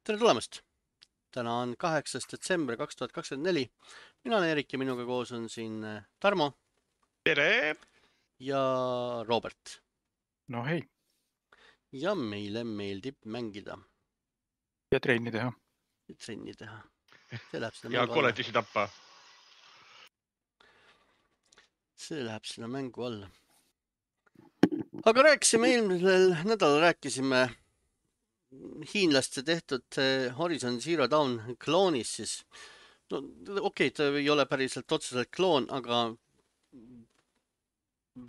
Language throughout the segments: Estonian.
Tere tulemast! Täna on 8. detsember 2024. Mina olen Erik ja minuga koos on siin Tarmo Tere! ja Robert. No hei. Ja meile meeldib mängida. Ja trenni teha. Ja trenni teha. See läheb sinna Ja mängu alla. koletisi tappa. See läheb sinna mängu alla. Aga rääkisime eelmisel nädalal rääkisime hiinlaste tehtud Horizon Zero Dawn kloonis siis. No okei, ta ei ole päriselt otseselt kloon, aga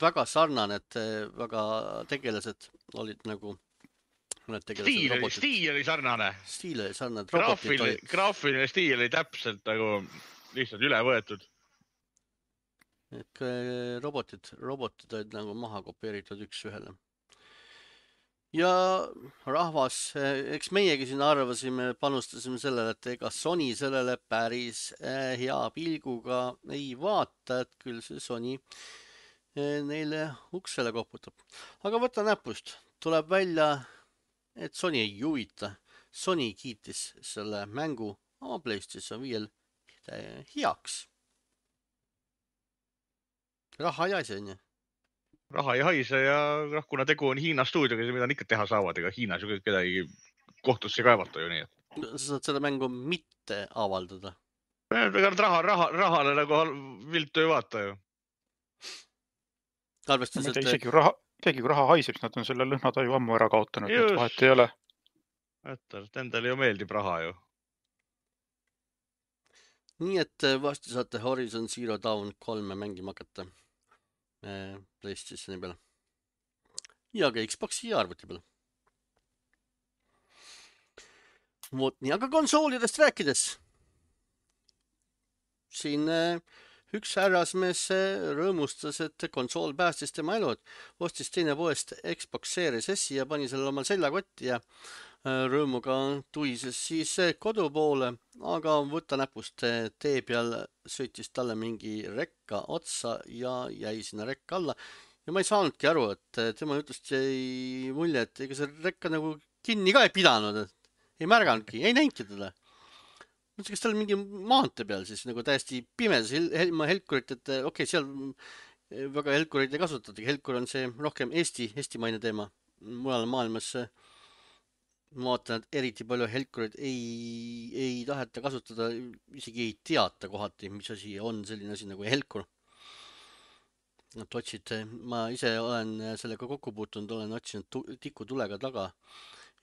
väga sarnane, et väga tegelased olid nagu mõned tegelased robotid. Stiil oli sarnane. Stiil oli sarnane. Robotid olid. Graafiline stiil oli täpselt nagu lihtsalt üle võetud. Et robotid olid nagu maha kopeeritud üks ühele. Ja rahvas, eks meiegi siin arvasime, panustasime sellele, et ega Sony sellele päris hea pilguga ei vaata, et küll see Sony neile uksele koputab. Aga võta näpust, tuleb välja, et Sony ei huvita. Sony kiitis selle mängu oma PlayStation 5 heaks. Raha ei aise, on ju. Raha ei haise ja kuna tegu on Hiina stuudioga, mida nad ikka teha saavad, ega Hiinas ju kedagi kohtusse kaevata ju nii. Sa saad seda mängu mitte avaldada. Ega rahale nagu viltu ei vaata ju. Arvestas, et isegi kui raha haiseb, nad on selle lõhnataju ammu ära kaotanud, et vahet ei ole. Endale ju meeldib raha ju. Nii et vasti saate Horizon Zero Dawn 3 mängima hakata PlayStationi peale. Ja ka Xboxi ja arvuti peale. Vot nii, aga konsoolidest rääkides. Siin üks härrasmees rõõmustas, et konsool päästis tema elu. Ostis teine poest Xbox Series S ja pani selle omal seljakotti ja rõõmuga tuises siis kodu poole, aga võtta näpust tee peal sõitis talle mingi rekka otsa ja jäi sinna rekka alla. Ja ma ei saanudki aru, et tema jutust jäi mulje, et ega see rekka nagu kinni ka ei pidanud, ei märganudki, ei näinudki teda. Mõtlesin, kas tal mingi maante peal siis nagu täiesti pimedas ilma helkurit, et okei, seal väga helkureid ei kasutata. Helkur on see rohkem Eesti-maine teema. Mujal maailmas ma vaatan, et eriti palju helkureid ei taheta kasutada, isegi ei teata kohati, mis asi on selline asi nagu helkur. Nad otsid, ma ise olen sellega kokku puutunud, olen otsinud tikutulega taga,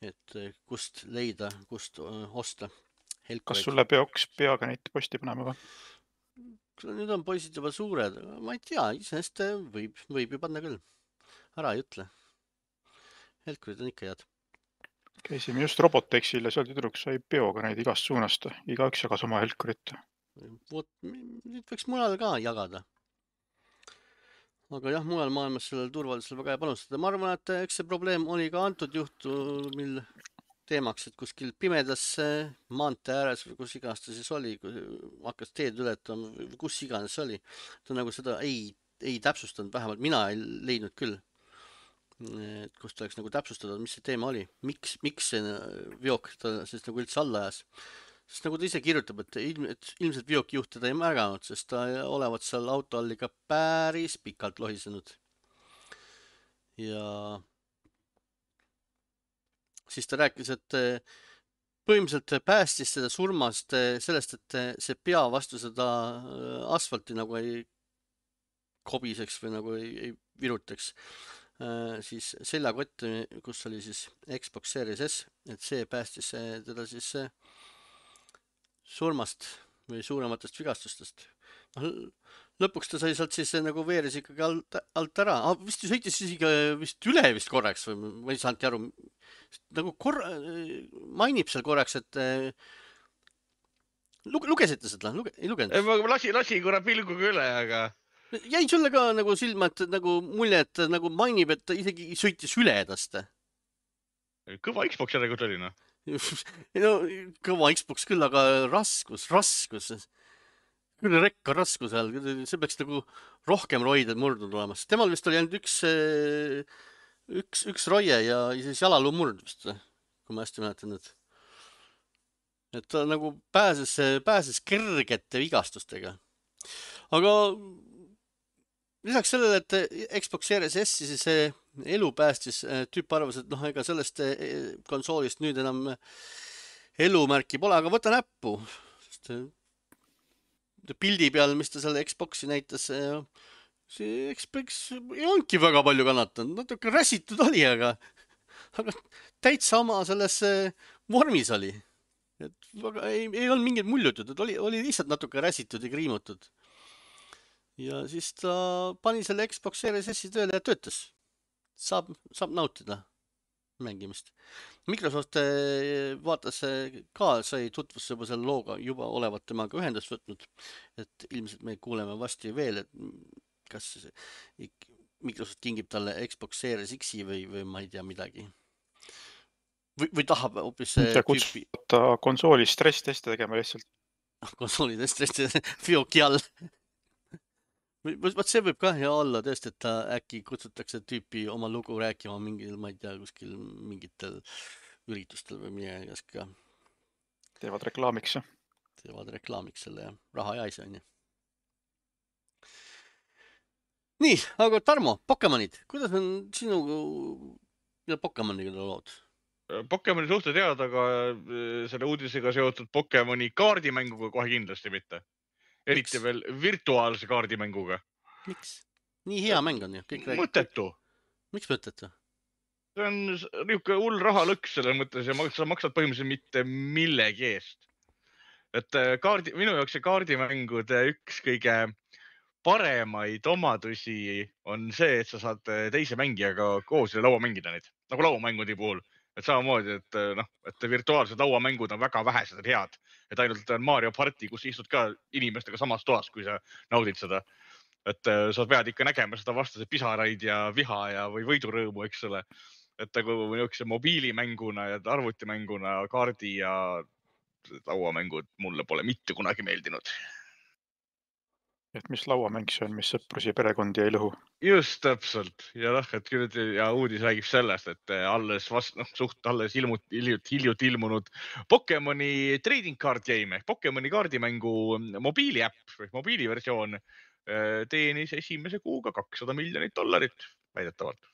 et kust leida, kust osta helkureid. Kas sulle peaks peaga neid posti panema või? Nüüd on poisid juba suured, ma ei tea, isest võib ju panna küll. Ära ei ütle. Helkurid on ikka head. Käisime just Robotexil ja seal tüdruk sai peoga neid igast suunast. Igaüks jagas oma helkurit. Vot, nüüd võiks mujal ka jagada. Aga jah, mujal maailmas sellel turvalisel väga ei panustada. Ma arvan, et eks see probleem oli ka antud juhtumil teemaks, et kuskil pimedas maante ääres või kus iganes ta siis oli, kui hakkas teed ületama või kus iganes oli. Ta nagu seda ei täpsustanud, vähemalt mina ei leidnud küll. Kust oleks nagu täpsustada, mis see teema oli. Miks see veok ta siis nagu üldse alla ajas. Sest nagu ta ise kirjutab, et ilmselt veoki juht teda ei märganud, sest ta olevat seal auto all ikka päris pikalt lohisenud. Ja siis ta rääkis, et põhimõtteliselt päästis seda surmast sellest, et see pea vastu seda asfalti nagu ei kobiseks või nagu ei virutaks. Siis seljakott, kus oli siis Xbox Series S, et see päästis teda siis surmast või suurematest vigastustest. Lõpuks ta sai sealt siis nagu veeres ikkagi alt ära. Vist sõitis vist üle vist korraks või ma ei saanudki aru. Nagu mainib seal korraks, et lugesite seda? Ei lugenud? Ma lasin korra pilguga üle, aga jäi sulle ka nagu silma, et nagu mulje, et nagu mainib, et ta isegi sõitis üle edast. Kõva Xbox järelikult oli, no. No, kõva Xbox küll, aga raskus. Küll rekka raskus seal, see peaks nagu rohkem roided murdunud olemas. Temal vist oli ainult üks roie ja siis jalaluu murd vist, kui ma hästi mäletan, et et ta nagu pääses kergete vigastustega. Aga lisaks sellele, et Xbox Series S see elu päästis, tüüp arvas, et ega sellest konsoolist nüüd enam elumärki pole, aga võta näppu. Sest pildi peal, mis ta selle Xboxi näitas, see Xbox ei olnudki väga palju kannatanud, natuke räsitud oli, aga täitsa oma selles vormis oli. Et ei olnud mingit muljutud, et oli lihtsalt natuke räsitud ja kriimutud. Ja siis ta pani selle Xbox Series S tööle ja töötas. Saab nautida mängimist. Microsoft vaatas ka, sai tutvusse juba selle looga, juba olevat temaga ühendust võtnud, et ilmselt me kuuleme vasti veel, et kas Microsoft kingib talle Xbox Series X-i või ma ei tea midagi. Või tahab hoopis kutsuta konsooli stress-teste tegema lihtsalt. Konsooli stress-teste fioki all. Võt see võib ka hea olla tõesti, et ta äkki kutsutakse tüüpi oma lugu rääkima mingil, ma ei tea, kuskil mingitel üritustel või midagi ka. Teevad reklaamiks. Teevad reklaamiks selle ja raha ja asja, on ju. Nii, aga Tarmo, Pokemonid, kuidas on sinu ja Pokemoniga lood? Pokemoni suhted head, aga selle uudisega seotud Pokemoni kaardimänguga kohe kindlasti mitte. Eriti veel virtuaalse kaardimänguga. Miks? Nii hea mäng on ju. Mõttetu. Miks mõttetu? See on niisugune hull rahalõks selles mõttes ja sa maksad põhimõtteliselt mitte millegi eest. Et minu jaoks see kaardimängude üks kõige paremaid omadusi on see, et sa saad teise mängijaga koos laua mängida neid. Nagu lauamängudi puhul. Et samamoodi, et virtuaalsed lauamängud on väga vähesed head. Et ainult Mario Party, kus istud ka inimestega samas toas, kui sa naudid seda. Et sa pead ikka nägema seda vastase pisaraid ja viha või võidurõõmu, eks ole. Et nagu niisuguse mobiilimänguna ja arvutimänguna kaardi ja lauamängud mulle pole mitte kunagi meeldinud. Et mis lauamäng see on, mis sõprus ja perekondi ei lõhu? Just täpselt. Ja uudis räägib sellest, et alles hiljuti ilmunud Pokemoni trading card game, Pokemoni kaardimängu mobiiliäpp või mobiiliversioon teenis esimese kuuga $200 miljonit väidetavalt.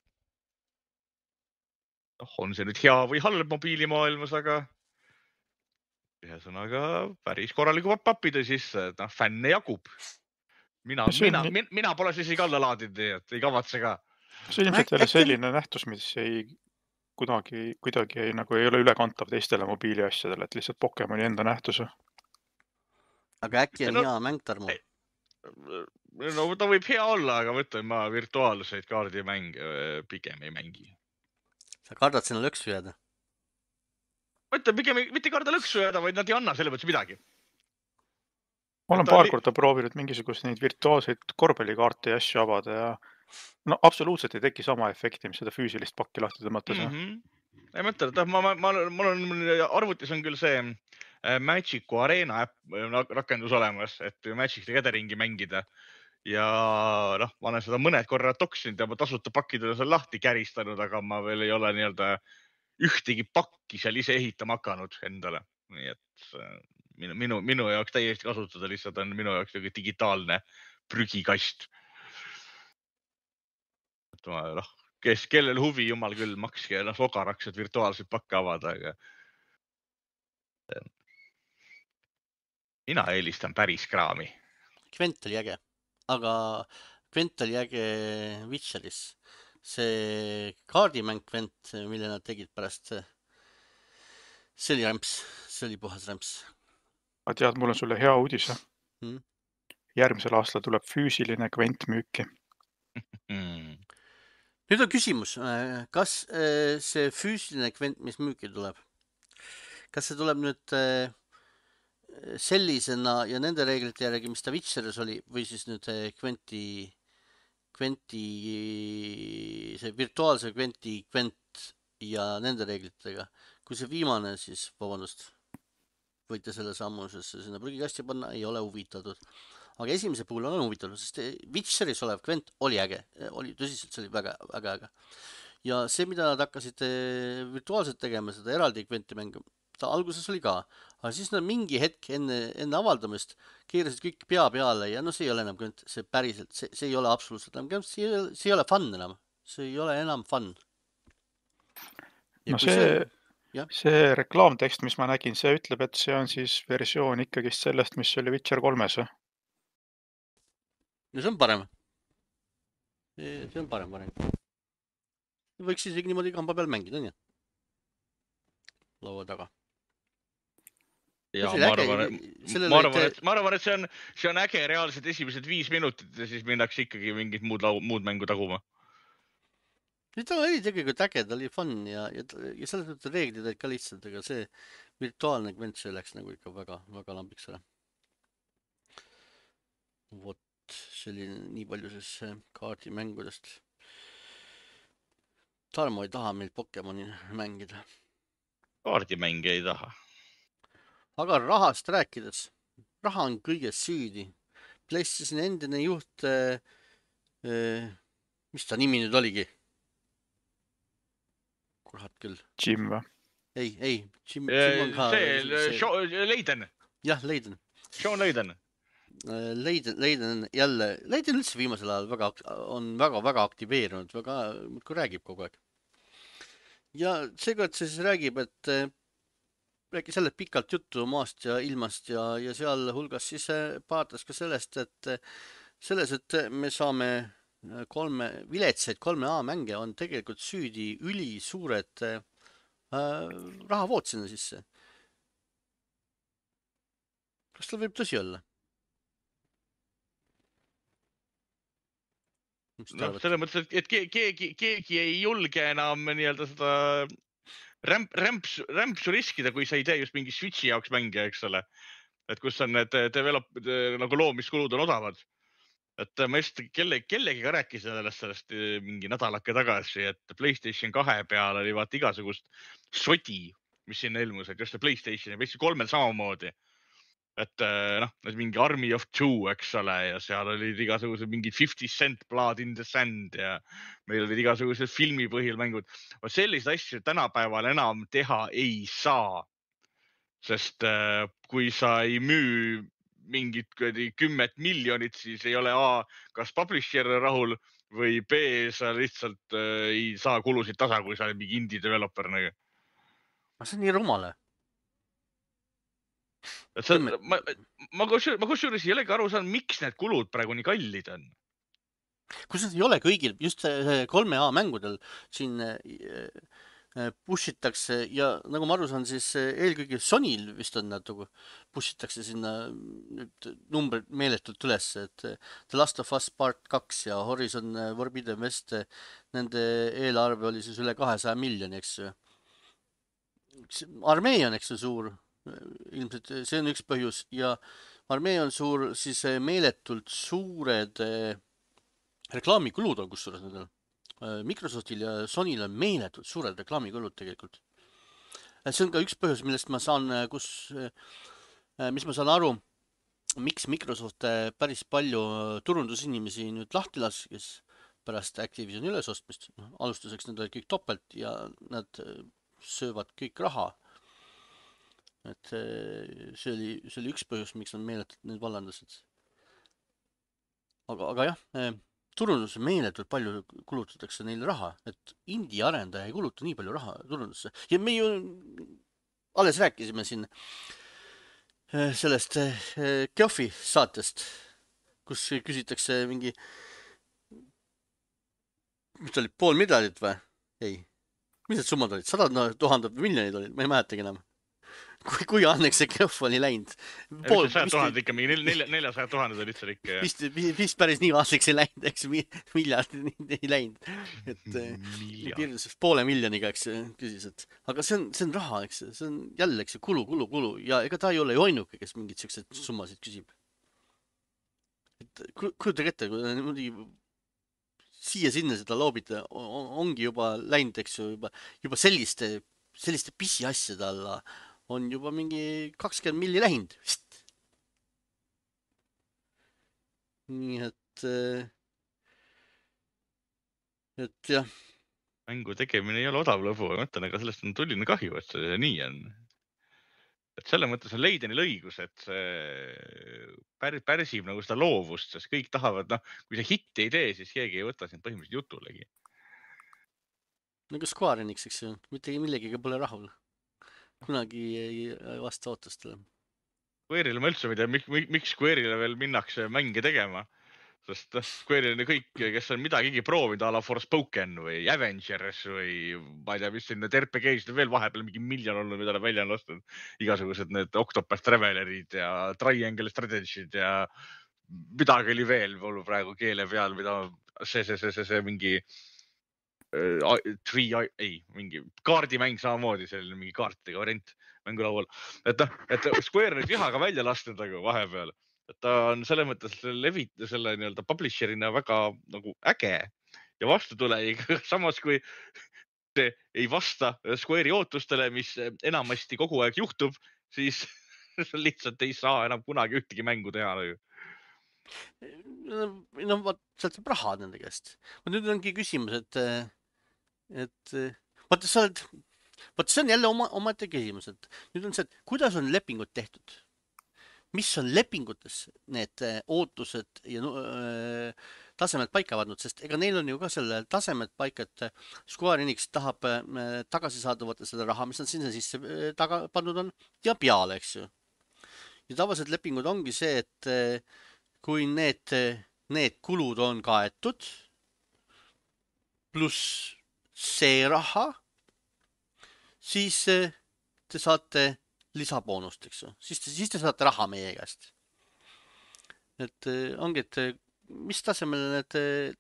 On see nüüd hea või halb mobiilimaailmas, aga ühesõnaga päris korraliku papide sisse, fänne jagub. Mina pole siis isegi alla laadinud, et ei kavatse ka. See ilmselt jälle selline nähtus, mis kuidagi ei ole ülekantav teistele mobiiliasjadele, et lihtsalt Pokemoni enda nähtus. Aga äkki on hea mäng, Tarmo? No ta võib hea olla, aga võtan ma virtuaalseid kaardimänge pigem ei mängi. Sa kardad sinna lõksu jääda? Ma ütlen pigem mitte karda lõksu jääda, vaid nad ei anna selle mõttes midagi. Ma olen paar korda proovinud mingisugust neid virtuaalseid korvpallikaarte ja asju avada ja absoluutselt ei teki sama efekti, mis seda füüsilist pakki lahti tõmmates. Ei mõtle, et mul arvutis on küll see Magicu Arena äpp rakendus olemas, et Magic the Gatheringi mängida. Ja ma olen seda mõned korrad toksinud ja ma tasuta pakkidele seal lahti käristanud, aga ma veel ei ole ühtegi pakki seal ise ehitama hakanud endale. Nii et minu jaoks täiesti kasutada lihtsalt on minu jaoks digitaalne prügikast. Kellel huvi, jumal küll, makske sogaraks, et virtuaalselt pakke avada, aga mina eelistan päris kraami. Gwent oli äge, aga Gwent oli äge Witcheris. See kaardimäng Gwent, mille nad tegid pärast, see oli rämps, see oli puhas rämps. Ma tead, mul on sulle hea uudis. Järgmisel aastal tuleb füüsiline Gwent müüki. Nüüd on küsimus, kas see füüsiline Gwent, mis müüki tuleb, kas see tuleb nüüd sellisena ja nende reeglite järgi, mis ta Witcheris oli, või siis nüüd Gwenti, see virtuaalse Gwent ja nende reeglitega. Kui see viimane, siis vabandust, võite selle sammusesse sinna prügikasti panna, ei ole huvitatud. Aga esimese puhul olen huvitatud, sest Witcheris olev Gwent oli äge, tõsiselt see oli väga äge. Ja see, mida nad hakkasid virtuaalselt tegema, seda eraldi Gwenti mängu, aasta alguses oli ka, aga siis nad mingi hetk enne avaldamist keerasid kõik pea peale ja no see ei ole enam see päriselt, see ei ole absoluutselt enam, see ei ole fun enam, see ei ole enam fun. No see reklaamtekst, mis ma nägin, see ütleb, et see on siis versioon ikkagist sellest, mis oli Witcher 3-s. No see on parem. See on parem variant. Võiks isegi niimoodi kamba peal mängida, on ju? Laua taga. Ja ma arvan, et see on äge reaalselt esimesed 5 minutit ja siis minnakse ikkagi mingit muud mängu taguma. Ta oli tegelikult äge, ta oli fun ja selles mõttes reeglid olid ka lihtsalt, aga see virtuaalne kvent, see läks nagu ikka väga lambiks ära. Vot, see oli nii palju siis kaardimängudest. Tarmo ei taha meil Pokemoni mängida. Kaardimänge ei taha. Aga rahast rääkides, raha on kõiges süüdi. PlayStation endine juht, mis ta nimi nüüd oligi? Kurat küll. Jim või? Ei, Jim on ka... Leiden. Jah, Leiden. Sean Leiden. Leiden jälle, Leiden üldse viimasel ajal on väga aktiveerunud, kui räägib kogu aeg. Ja seekord siis räägib, et rääkis jälle pikalt juttu maast ja ilmast ja seal hulgas siis paatas ka sellest, et me saame viletsaid 3A mänge on tegelikult süüdi ülisuured rahavood sinna sisse. Kas tal võib tõsi olla? No, selles mõttes, et keegi ei julge enam nii-öelda seda rämpsu riskida, kui sa ei tee just mingi Switchi jaoks mänge, eks ole. Et kus on need nagu loomiskulud on odavad. Et ma just kellegiga rääkisin sellest mingi nädalake tagasi, et PlayStation 2 peal oli vaata igasugust sodi, mis sinna ilmus, et just PlayStation ja PlayStation 3 samamoodi. Et mingi Army of Two, eks ole, ja seal olid igasugused mingid 50 Cent Blood in the Sand ja meil olid igasugused filmipõhil mängud. Selliseid asju tänapäeval enam teha ei saa, sest kui sa ei müü mingit 10 miljonit, siis ei ole A, kas publisher rahul või B, sa lihtsalt ei saa kulusid tasa, kui sa oled mingi indie developer. See on nii rumale. Ma kusjuures ei olegi aru saanud, miks need kulud praegu nii kallid on. Kusjuures ei ole kõigil, just 3A mängudel siin pushitakse ja nagu ma aru saan, siis eelkõige Sonyl vist on natuke pushitakse sinna numbrid meeletult üles, et The Last of Us Part 2 ja Horizon Forbidden West, nende eelarve oli siis üle 200 miljoni, eks. Armee on, eks, suur. Ilmselt see on üks põhjus ja armee on suur, siis meeletult suured reklaamikulud on kusjuures nendel. Microsoftil ja Sonyl on meeletult suured reklaamikulud tegelikult. See on ka üks põhjus, millest ma saan, mis ma saan aru, miks Microsoft päris palju turundusinimesi nüüd lahti laskis pärast Activisioni ülesostmist. Alustuseks need olid kõik topelt ja nad söövad kõik raha. Et see oli üks põhjus, miks on meeletult need vallandasid. Aga jah, turundus meeletult palju kulutatakse neile raha, et indie arendaja ei kuluta nii palju raha turundusse. Ja me ju alles rääkisime siin sellest Geoffi saatest, kus küsitakse mingi, mis ta oli, 500 000 või? Ei, mis need summad olid? 100 000 või miljonid olid, ma ei mäletagi enam. Kui anneks see Geoff oli läinud. 100 000 ikka, mingi 400 000 olid seal ikka. Vist päris nii aastaks ei läinud, eks miljard ei läinud. Et piirdus 500 000, eks küsis, et aga see on raha, eks, see on jälle, eks, kulu ja ega ta ei ole ju ainuke, kes mingid sellised summasid küsib. Kujutage ette, kui niimoodi siia-sinna seda loobida, ongi juba läinud, eks ju, juba selliste pisiasjade alla on juba mingi 20 milli lähinud vist. Nii et jah. Mängu tegemine ei ole odav lõbu, ma mõtlen, aga sellest on tulline kahju, et see nii on. et selle mõttes on Leidenil õigus, et see pärsib nagu seda loovust, sest kõik tahavad, kui see hitti ei tee, siis keegi ei võta sind põhimõtteliselt jutulegi. Nagu Square Enix, eks ju, mitte millegiga pole rahul. Kunagi ei vasta ootustele. Square'ile ma üldse ei tea, miks Square'ile veel minnakse mänge tegema. Sest Square'il on kõik, kes on midagigi proovinud a la Forspoken või Avengers või ma ei tea, mis siin need RPG-sid veel vahepeal mingi miljon olnud, mida nad välja on lastud. Igasugused need Octopath Travelerid ja Triangle Strategied ja midagi oli veel mul praegu keele peal, mida see mingi mingi kaardimäng samamoodi, selline mingi kaartidega variant mängulaual. Et Square on nüüd vihaga välja lastud nagu vahepeal. Et ta on selles mõttes selle nii-öelda publisherina väga nagu äge ja vastutulejik. Samas kui see ei vasta Square'i ootustele, mis enamasti kogu aeg juhtub, siis lihtsalt ei saa enam kunagi ühtegi mängu teha. No vaat, sealt saab raha nende käest. Nüüd ongi küsimus, et vaata, see on jälle omaette küsimus, et nüüd on see, et kuidas on lepingud tehtud? Mis on lepingutes need ootused ja tasemed paika pandud, sest ega neil on ju ka selle tasemed paika, et Square Enix tahab tagasi saada võtta seda raha, mis nad sinna sisse taga pandud on ja peale, eks ju. Ja tavaliselt lepingud ongi see, et kui need kulud on kaetud, pluss see raha, siis te saate lisaboonust, eks ju. Siis te saate raha meie käest. Et ongi, et mis tasemel need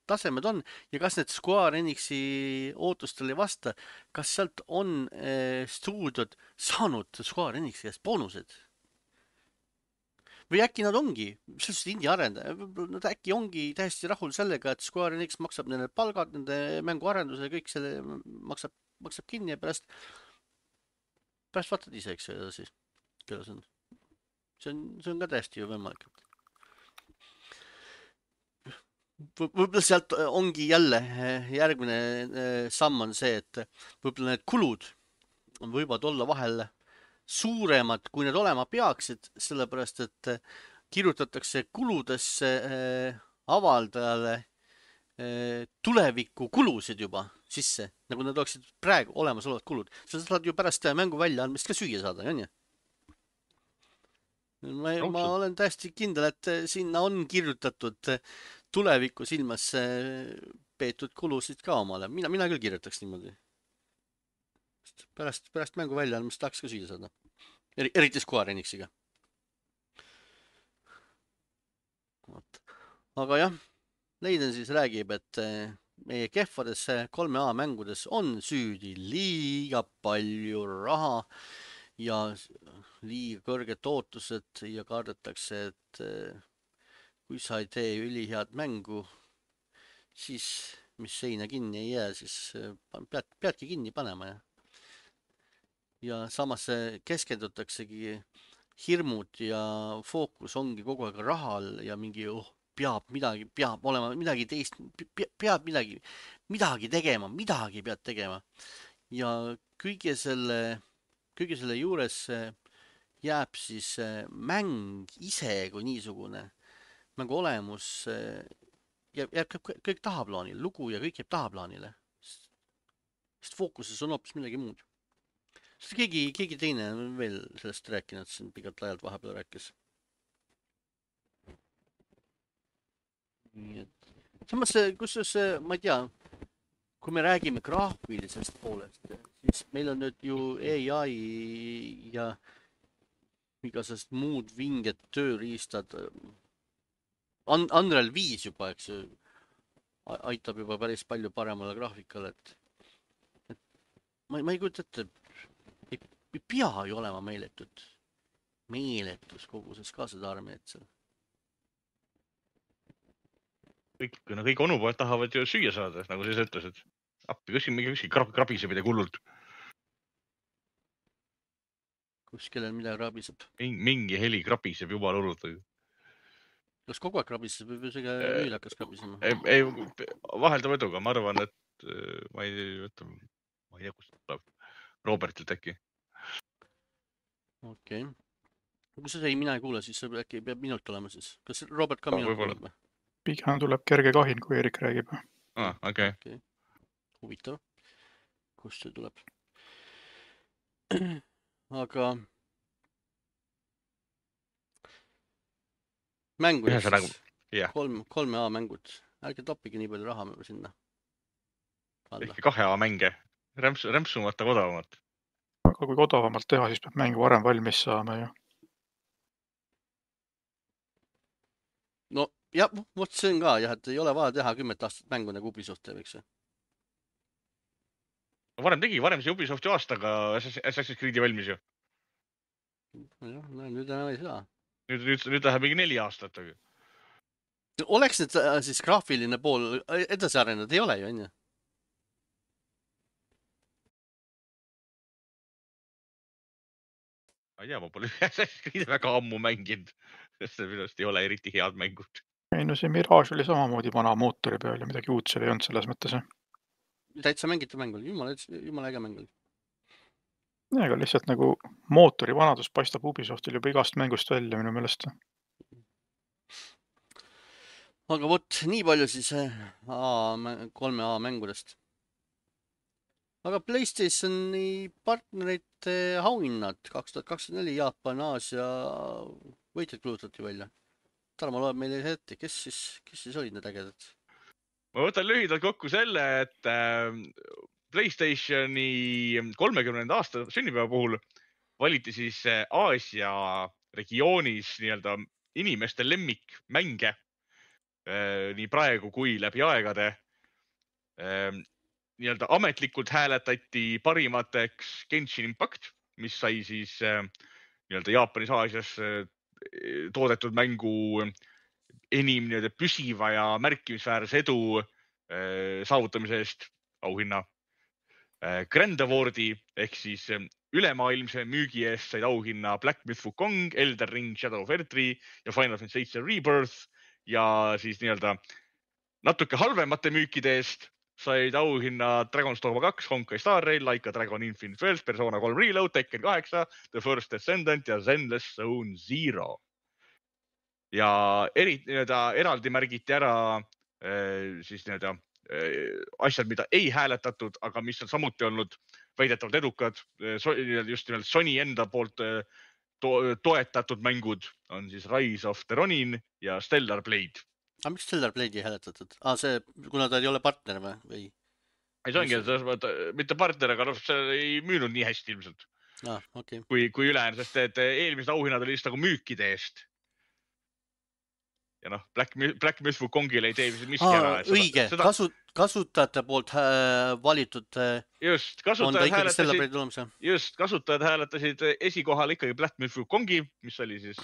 tasemed on ja kas need Square Enixi ootustele ei vasta, kas sealt on stuudiod saanud Square Enixi käest boonused? Või äkki nad ongi, sellised indie arendaja, nad äkki ongi täiesti rahul sellega, et Square Enix maksab nende palgad, nende mänguarenduse ja kõik selle maksab kinni ja pärast vaatad ise, eks ju, edasi, kelle see on. See on ka täiesti ju võimalik. Võib-olla sealt ongi jälle järgmine samm on see, et võib-olla need kulud võivad olla vahel suuremad, kui need olema peaksid, sellepärast et kirjutatakse kuludesse avaldajale tuleviku kulusid juba sisse, nagu need oleksid praegu olemasolevad kulud. Sa saad ju pärast mängu välja andmist ka süüa saada, on ju? Ma olen täiesti kindel, et sinna on kirjutatud tuleviku silmas peetud kulusid ka omale. Mina küll kirjutaks niimoodi. Pärast mängu välja andmist tahaks ka süüa saada. Eriti Square Enixiga. Aga jah, Leiden siis räägib, et meie kehvades 3A mängudes on süüdi liiga palju raha ja liiga kõrged ootused ja kardetakse, et kui sa ei tee ülihead mängu, siis mis seina kinni ei jää, siis peadki kinni panema. Ja samas keskendutaksegi hirmud ja fookus ongi kogu aeg rahal ja mingi peab olema midagi teist, peab midagi tegema, midagi pead tegema. Ja kõige selle juures jääb siis mäng ise kui niisugune, mängu olemus jääb kõik tahaplaanile, lugu ja kõik jääb tahaplaanile. Sest fookuses on hoopis midagi muud. Sest keegi teine on veel sellest rääkinud, siin pikalt laialt vahepeal rääkis. Samas, kusjuures, ma ei tea, kui me räägime graafilisest poolest, siis meil on nüüd ju AI ja igasugused muud vinged tööriistad. Unreal 5 juba, eks ju, aitab juba päris palju paremale graafikale, et ma ei kujuta ette, ei pea ju olema meeletus koguses ka seda armeed seal. Kõik onupojad tahavad ju süüa saada, nagu sa ütlesid. Appi, kuskil krabiseb midagi hullult. Kuskil midagi krabiseb. Mingi heli krabiseb juba hullult. Kas kogu aeg krabiseb või see nüüd hakkas krabisema? Ei, vaheldava eduga. Ma arvan, et ma ei tea, kust tuleb. Robertilt äkki. okei. Kui sa ei, mina ei kuule, siis äkki peab minult olema siis. Kas Robert ka minult Võib-olla. kuuleb või? Pigem tuleb kerge kahin, kui Erik räägib. Okei. Huvitav. Kust see tuleb? Aga mängudest siis. Jah. 3A mängud. Ärge toppige nii palju raha sinna. Ehkki 2A mänge. Rämpsumata odavamat. Aga kui odavamalt teha, siis peab mängu varem valmis saama ju. No jah, vot see on ka jah, et ei ole vaja teha 10 aastat mängu nagu Ubisoft teeb, eks. Varem see Ubisoft ju aastaga Assassin's Creed'i valmis ju. Jah, nüüd enam ei saa. Nüüd läheb mingi 4 aastat. Oleks nüüd siis graafiline pool edasi arenenud, ei ole ju, on ju? Ma ei tea, ma pole Assassin's Creed'i väga ammu mänginud, sest see minu arust ei ole eriti head mängud. Ei no see Mirage oli samamoodi vana mootori peal ja midagi uut seal ei olnud selles mõttes. Täitsa mängitav mäng oli, jumala äge mäng oli. Ja, aga lihtsalt nagu mootori vanadus paistab Ubisoftil juba igast mängust välja minu meelest. Aga vot, nii palju siis 3A mängudest. Aga PlayStationi partnerite auhinnad 2024 Jaapan, Aasia võitjad kulutati välja. Tarmo loeb meile ette, kes siis olid need ägedad? Ma võtan lühidalt kokku selle, et PlayStationi 30. aasta sünnipäeva puhul valiti siis Aasia regioonis nii-öelda inimeste lemmikmänge nii praegu kui läbi aegade. Nii-öelda ametlikult hääletati parimateks Genshin Impact, mis sai siis nii-öelda Jaapanis, Aasias toodetud mängu enim nii-öelda püsiva ja märkimisväärse edu saavutamise eest auhinna. Grand Awardi ehk siis ülemaailmse müügi eest said auhinna Black Myth Wukong, Elden Ring, Shadow of Erdtree ja Final Fantasy VII Rebirth ja siis nii-öelda natuke halvemate müükide eest said auhinna Dragon's Dogma 2, Honkai Star Rail, Laika Dragon Infinite Wealth, Persona 3 Reload, Tekken 8, The First Descendant ja Zenless Zone Zero. Ja eraldi märgiti ära siis nii-öelda asjad, mida ei hääletatud, aga mis on samuti olnud väidetavalt edukad. Just nimelt Sony enda poolt toetatud mängud on siis Rise of the Ronin ja Stellar Blade. Aga miks Stellar Blade'i ei hääletatud? See, kuna ta ei ole partner või? Ei, see ongi, mitte partner, aga see ei müünud nii hästi ilmselt kui ülejäänud, sest et eelmised auhinnad oli just nagu müükide eest. Ja noh, Black Myth Wukongile ei tee miski ära. Õige, kasutajate poolt valitud on ta ikkagi Stellar Blade tulemas. Just, kasutajad hääletasid esikohal ikkagi Black Myth Wukongi, mis oli siis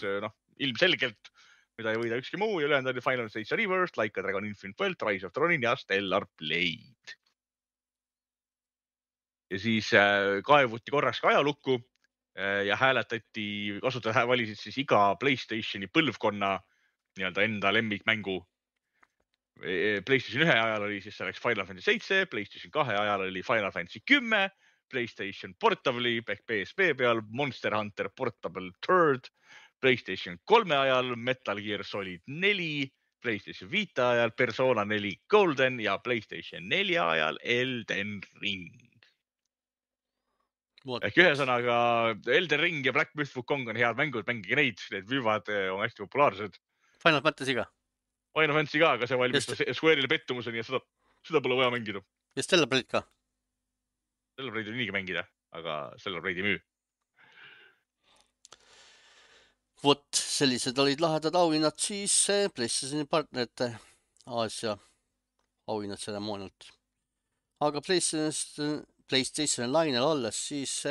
ilmselgelt, mida ei võida ükski muu ja ülejäänud oli Final Fantasy Rebirth, Laika Dragon Infinite Wealth, Rise of the Ronin ja Stellar Blade. Ja siis kaevuti korraks ka ajalukku ja hääletati, kasutajad valisid siis iga PlayStationi põlvkonna nii-öelda enda lemmikmängu. PlayStation 1 ajal oli siis selleks Final Fantasy 7, PlayStation 2 ajal oli Final Fantasy 10, PlayStation Portable'i ehk PSP peal Monster Hunter Portable Third, PlayStation 3 ajal Metal Gear Solid 4, PlayStation Vita ajal Persona 4 Golden ja PlayStation 4 ajal Elden Ring. Ehk ühesõnaga Elden Ring ja Black Myth Wukong on head mängud, mängige neid, need müüvad, on hästi populaarsed. Final Fantasy ka? Final Fantasy ka, aga see valmistas Square'ile pettumuseni ja seda pole vaja mängida. Ja Stellar Blade ka? Stellar Blade oli niigi mängida, aga Stellar Blade ei müü. Vot, sellised olid lahedad auhinnad siis PlayStationi partnerite Aasia auhinnad tseremoonialt. Aga PlayStation lainel olles, siis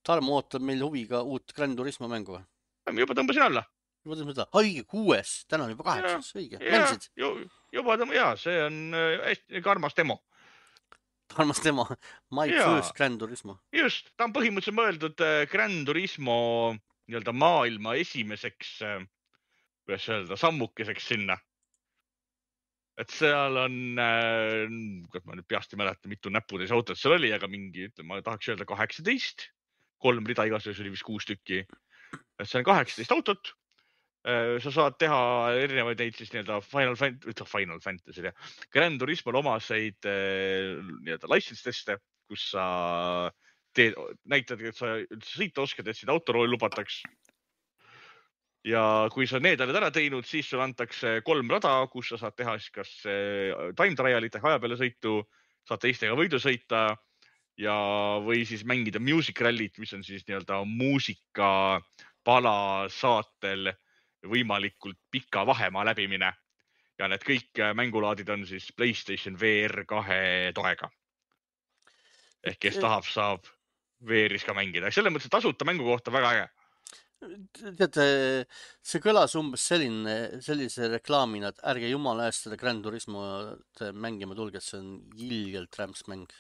Tarmo ootab meil huviga uut Gran Turismo mängu. Ma juba tõmbasin alla. Juba tõmbasin alla. Õige, 6. Täna on juba 8. Õige. Mängisid? Juba tõmbasin, see on hästi armas demo. Armas demo. My first Gran Turismo. Just, ta on põhimõtteliselt mõeldud Gran Turismo nii-öelda maailma esimeseks, kuidas öelda, sammukeseks sinna. Et seal on, kuidas ma nüüd peast ei mäleta, mitu näputäis autot seal oli, aga mingi, ma tahaks öelda 18, 3 rida igasuguses, oli vist 6 tükki. Et see on 18 autot. Sa saad teha erinevaid neid siis nii-öelda Final Fantasy ja Gran Turismol omaseid nii-öelda license teste, kus sa näitad, et sa üldse sõita oskad, et sind autorooli lubataks. Ja kui sa need oled ära teinud, siis sul antakse 3 rada, kus sa saad teha siis kas time trial'it ehk aja peale sõitu, saad teistega võidu sõita ja või siis mängida music rally't, mis on siis nii-öelda muusika pala saatel võimalikult pika vahemaa läbimine. Ja need kõik mängulaadid on siis PlayStation VR 2 toega. Ehk kes tahab, saab VR-is ka mängida. Selles mõttes tasuta mängu kohta väga äge. Teate, see kõlas umbes sellise reklaamina, et ärge jumala eest seda Gran Turismo mängima tulge, et see on ilgelt rämps mäng.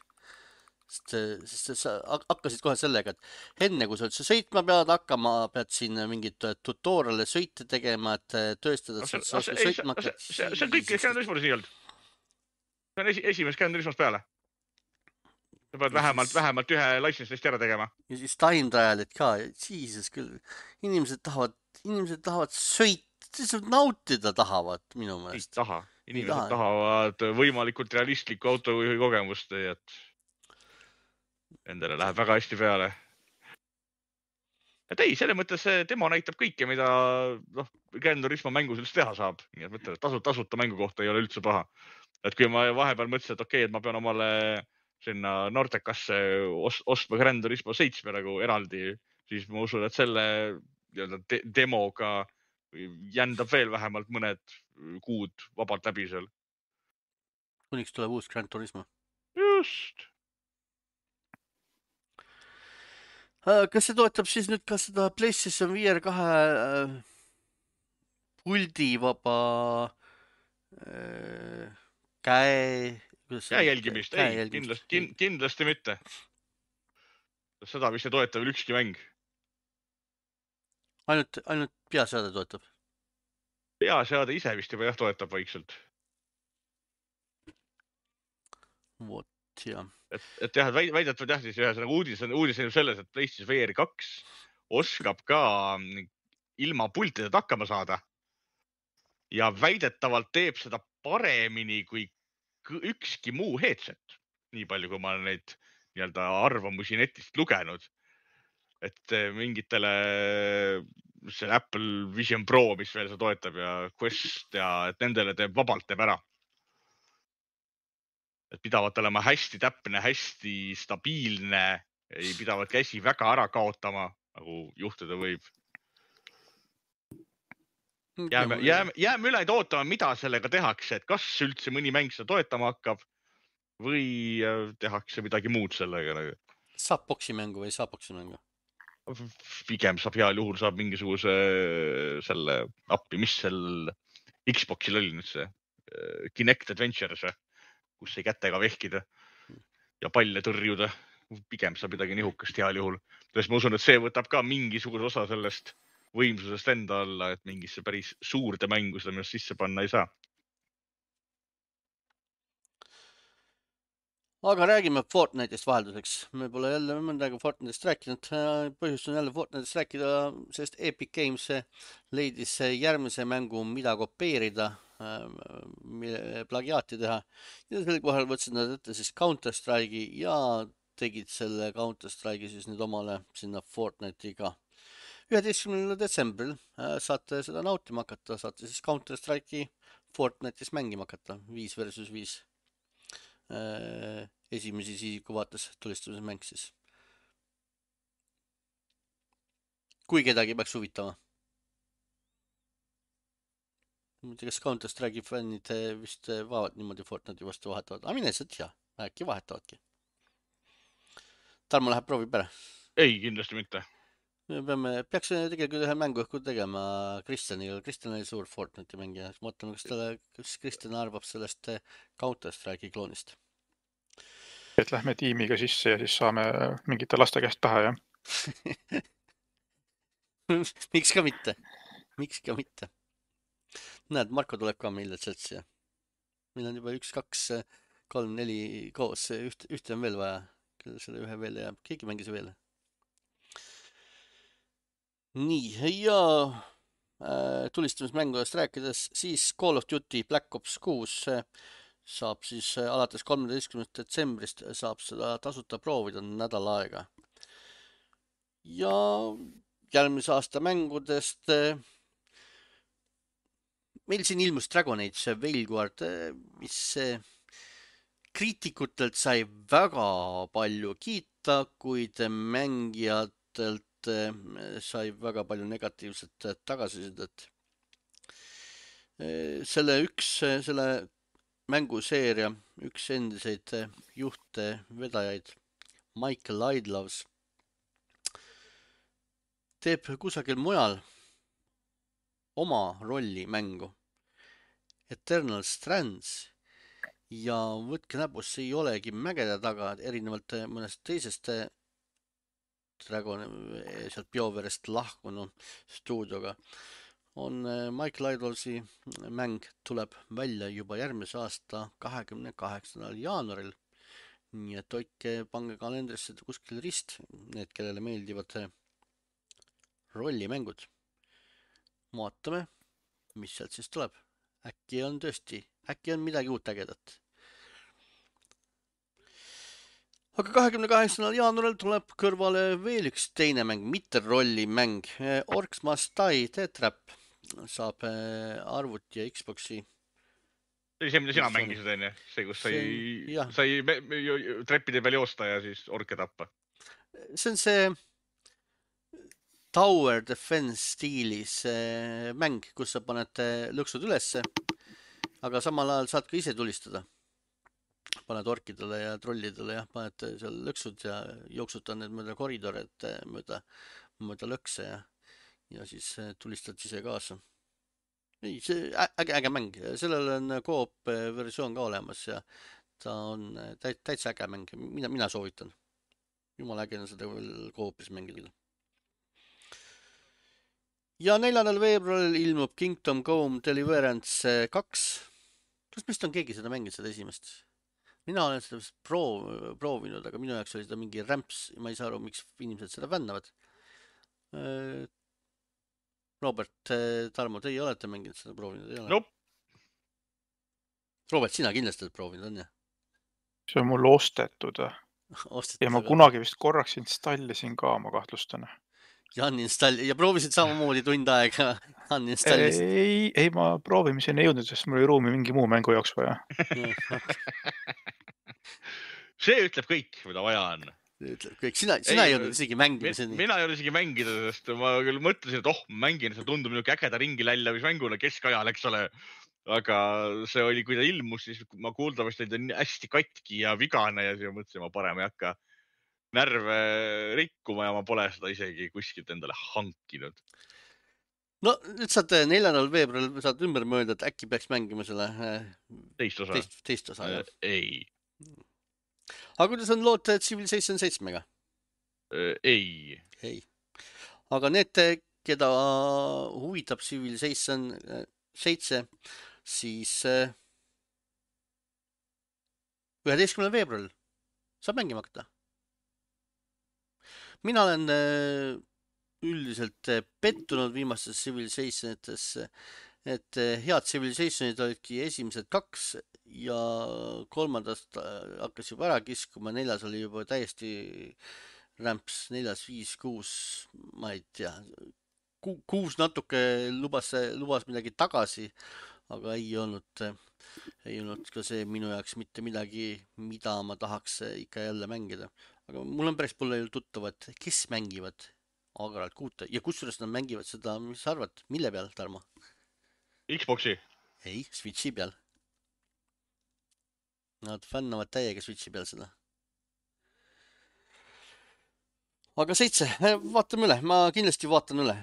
Sest sa hakkasid kohe sellega, et enne kui sa üldse sõitma pead hakkama, pead siin mingit tutorial'e sõite tegema, et tööstada, et sa oskad sõitma hakkad. See on kõik Gran Turismos nii olnud. See on esimest Gran Turismos peale. Sa pead vähemalt ühe license testi ära tegema. Ja siis time trial'id ka. Jesus küll. Inimesed tahavad sõita, nautida tahavad minu meelest. Ei taha. Inimesed tahavad võimalikult realistlikku autojuhi kogemust, et endale läheb väga hästi peale. Et ei, selle mõttes see demo näitab kõike, mida Gran Turismo mängus üldse teha saab. Nii et mõtle, tasuta mängu kohta ei ole üldse paha. Et kui ma vahepeal mõtlesin, et okei, et ma pean omale sinna Nordecasse ostma Gran Turismo 7 nagu eraldi, siis ma usun, et selle demoga jändab veel vähemalt mõned kuud vabalt läbi seal. Kuniks tuleb uus Gran Turismo. Just. Kas see toetab siis nüüd ka seda PlayStation VR 2 puldi vaba käe jälgimist? Ei, kindlasti mitte. Seda vist ei toeta veel ükski mäng. Ainult peaseade toetab? Peaseade ise vist juba toetab vaikselt. Vot, jah. Et jah, väidetavalt jah, siis ühesõnaga uudis on selles, et PlayStation VR 2 oskab ka ilma pultideta hakkama saada. Ja väidetavalt teeb seda paremini kui ükski muu headset. Nii palju, kui ma olen neid nii-öelda arvamusi netist lugenud. Et mingitele see Apple Vision Pro, mis veel seda toetab ja Quest ja et nendele vabalt teeb ära. Et pidavad olema hästi täpne, hästi stabiilne, ei pidavad käsi väga ära kaotama, nagu juhtuda võib. Jääme üle ootama, mida sellega tehakse, et kas üldse mõni mäng seda toetama hakkab või tehakse midagi muud sellega. Saab boksi mängu või saab boksi mängu? Pigem saab heal juhul saab mingisuguse selle appi, mis seal Xboxil oli nüüd see Kinect Adventures, kus ei kätega vehkida ja palle tõrjuda. Pigem saab midagi nihukast heal juhul. Tões ma usun, et see võtab ka mingisuguse osa sellest võimsusest enda alla, et mingisse päris suurde mängu seda minust sisse panna ei saa. Aga räägime Fortnite'ist vahelduseks. Me pole jälle mõndaga Fortnite'ist rääkinud. Põhjust on jälle Fortnite'ist rääkida, sest Epic Games leidis järgmise mängu, mida kopeerida, plagiaati teha. Ja sel kohal võtsid nad ette siis Counter-Strike'i ja tegid selle Counter-Strike'i siis nüüd omale sinna Fortnite'iga. 11. detsembril saate seda nautima hakata, saate siis Counter-Strike'i Fortnite'is mängima hakata, 5 versus 5. Esimesi isiku vaates tulistamise mäng siis. Kui kedagi peaks huvitama. Kas Counter-Strike'i fännid vist vaavad niimoodi Fortnite'i vastu vahetavad? Aga mine sa tea, äkki vahetavadki. Tarmo läheb proovib ära. Ei, kindlasti mitte. Peaks tegelikult ühe mängu õhku tegema Kristjaniga. Kristjan oli suur Fortnite'i mängija. Mõtleme, kas Kristjan arvab sellest Counter-Strike'i kloonist. Et lähme tiimiga sisse ja siis saame mingite laste käest pähe, jah? Miks ka mitte? Näed, Marko tuleb ka meile chatsi. Meil on juba 1, 2, 3, 4 koos. Ühte on veel vaja. Küll selle ühe veel jääb. Keegi mängis veel. nii, ja tulistamismängudest rääkides, siis Call of Duty Black Ops 6 saab siis alates 13. detsembrist saab seda tasuta proovida nädal aega. Ja järgmise aasta mängudest meil siin ilmus Dragon Age Veilguard, mis kriitikutelt sai väga palju kiita, kuid mängijatelt sai väga palju negatiivset tagasisidet. Selle mänguseeria üks endiseid juhte vedajaid, Michael Idlows, teeb kusagil mujal oma rolli mängu Eternal Strands ja võtke näpust, see ei olegi mägede taga, erinevalt mõnest teisest sealt BioWare'ist lahkunud stuudioga on Michael Idlowsi mäng tuleb välja juba järgmise aasta 28. jaanuaril. Nii et hoidke, pange kalendrisse kuskil rist, need, kellele meeldivad rollimängud. Vaatame, mis sealt siis tuleb. Äkki on midagi uut ägedat. Aga 28. jaanuaril tuleb kõrvale veel üks teine mäng, mitte rollimäng. Orcs Must Die Death Trap saab arvuti ja Xboxi. See, mida sina mängisid, on ju? See, kus sai treppide peal joosta ja siis orke tappa. See on see Tower Defense stiilis mäng, kus sa paned lõksud ülesse, aga samal ajal saad ka ise tulistada. Paned orkidele ja trollidele ja paned seal lõksud ja jooksutad need mööda koridorid, mööda lõkse ja siis tulistad ise kaasa. Ei, see äge mäng. Sellel on koop versioon ka olemas ja ta on täitsa äge mäng. Mina soovitan. Jumala äge on seda koopis mängida. Ja 4. veebruaril ilmub Kingdom Come Deliverance 2. Kas meist on keegi seda mänginud, seda esimest? Mina olen seda proovinud, aga minu jaoks oli seda mingi rämps. Ma ei saa aru, miks inimesed seda fännavad. Robert, Tarmo, teie olete mänginud seda proovinud, ei ole? Nope. Robert, sina kindlasti oled proovinud, on ju? See on mul ostetud. Ja ma kunagi vist korraks installisin ka, ma kahtlustan. Ja proovisid samamoodi tund aega uninstallisid? Ei, ma proovimiseni ei jõudnud, sest mul oli ruumi mingi muu mängu jaoks vaja. See ütleb kõik, mida vaja on. Sina ei olnud isegi mängimiseni. Mina ei olnud isegi mängida, sest ma küll mõtlesin, et mängin, see tundub niisugune ägeda ringi lällavismänguna keskajal, eks ole. Aga see oli, kui ta ilmus, siis ma kuuldavasti olin hästi katki ja vigane ja siis mõtlesin, ma parem ei hakka närve rikkuma ja ma pole seda isegi kuskilt endale hankinud. No nüüd saad 4. veebruaril saad ümber mõelda, et äkki peaks mängima selle teist osa. Ei. Aga kuidas on lood Civilization 7-ga? Ei. Aga need, keda huvitab Civilization 7, siis 11. veebruaril saab mängima hakata. Mina olen üldiselt pettunud viimastes Civilizationites, et head Civilizationid olidki esimesed 2 ja 3. hakkas juba ära kiskuma, 4. oli juba täiesti rämps, 4., 5., 6, ma ei tea. 6 natuke lubas midagi tagasi, aga ei olnud ka see minu jaoks mitte midagi, mida ma tahaks ikka jälle mängida. Aga mul on päris palju tuttavad, kes mängivad agaralt 6 ja kusjuures nad mängivad seda, mis sa arvad, mille peal, Tarmo? Xboxi? Ei, Switchi peal. Nad fännavad täiega Switchi peal seda. Aga 7, vaatame üle, ma kindlasti vaatan üle,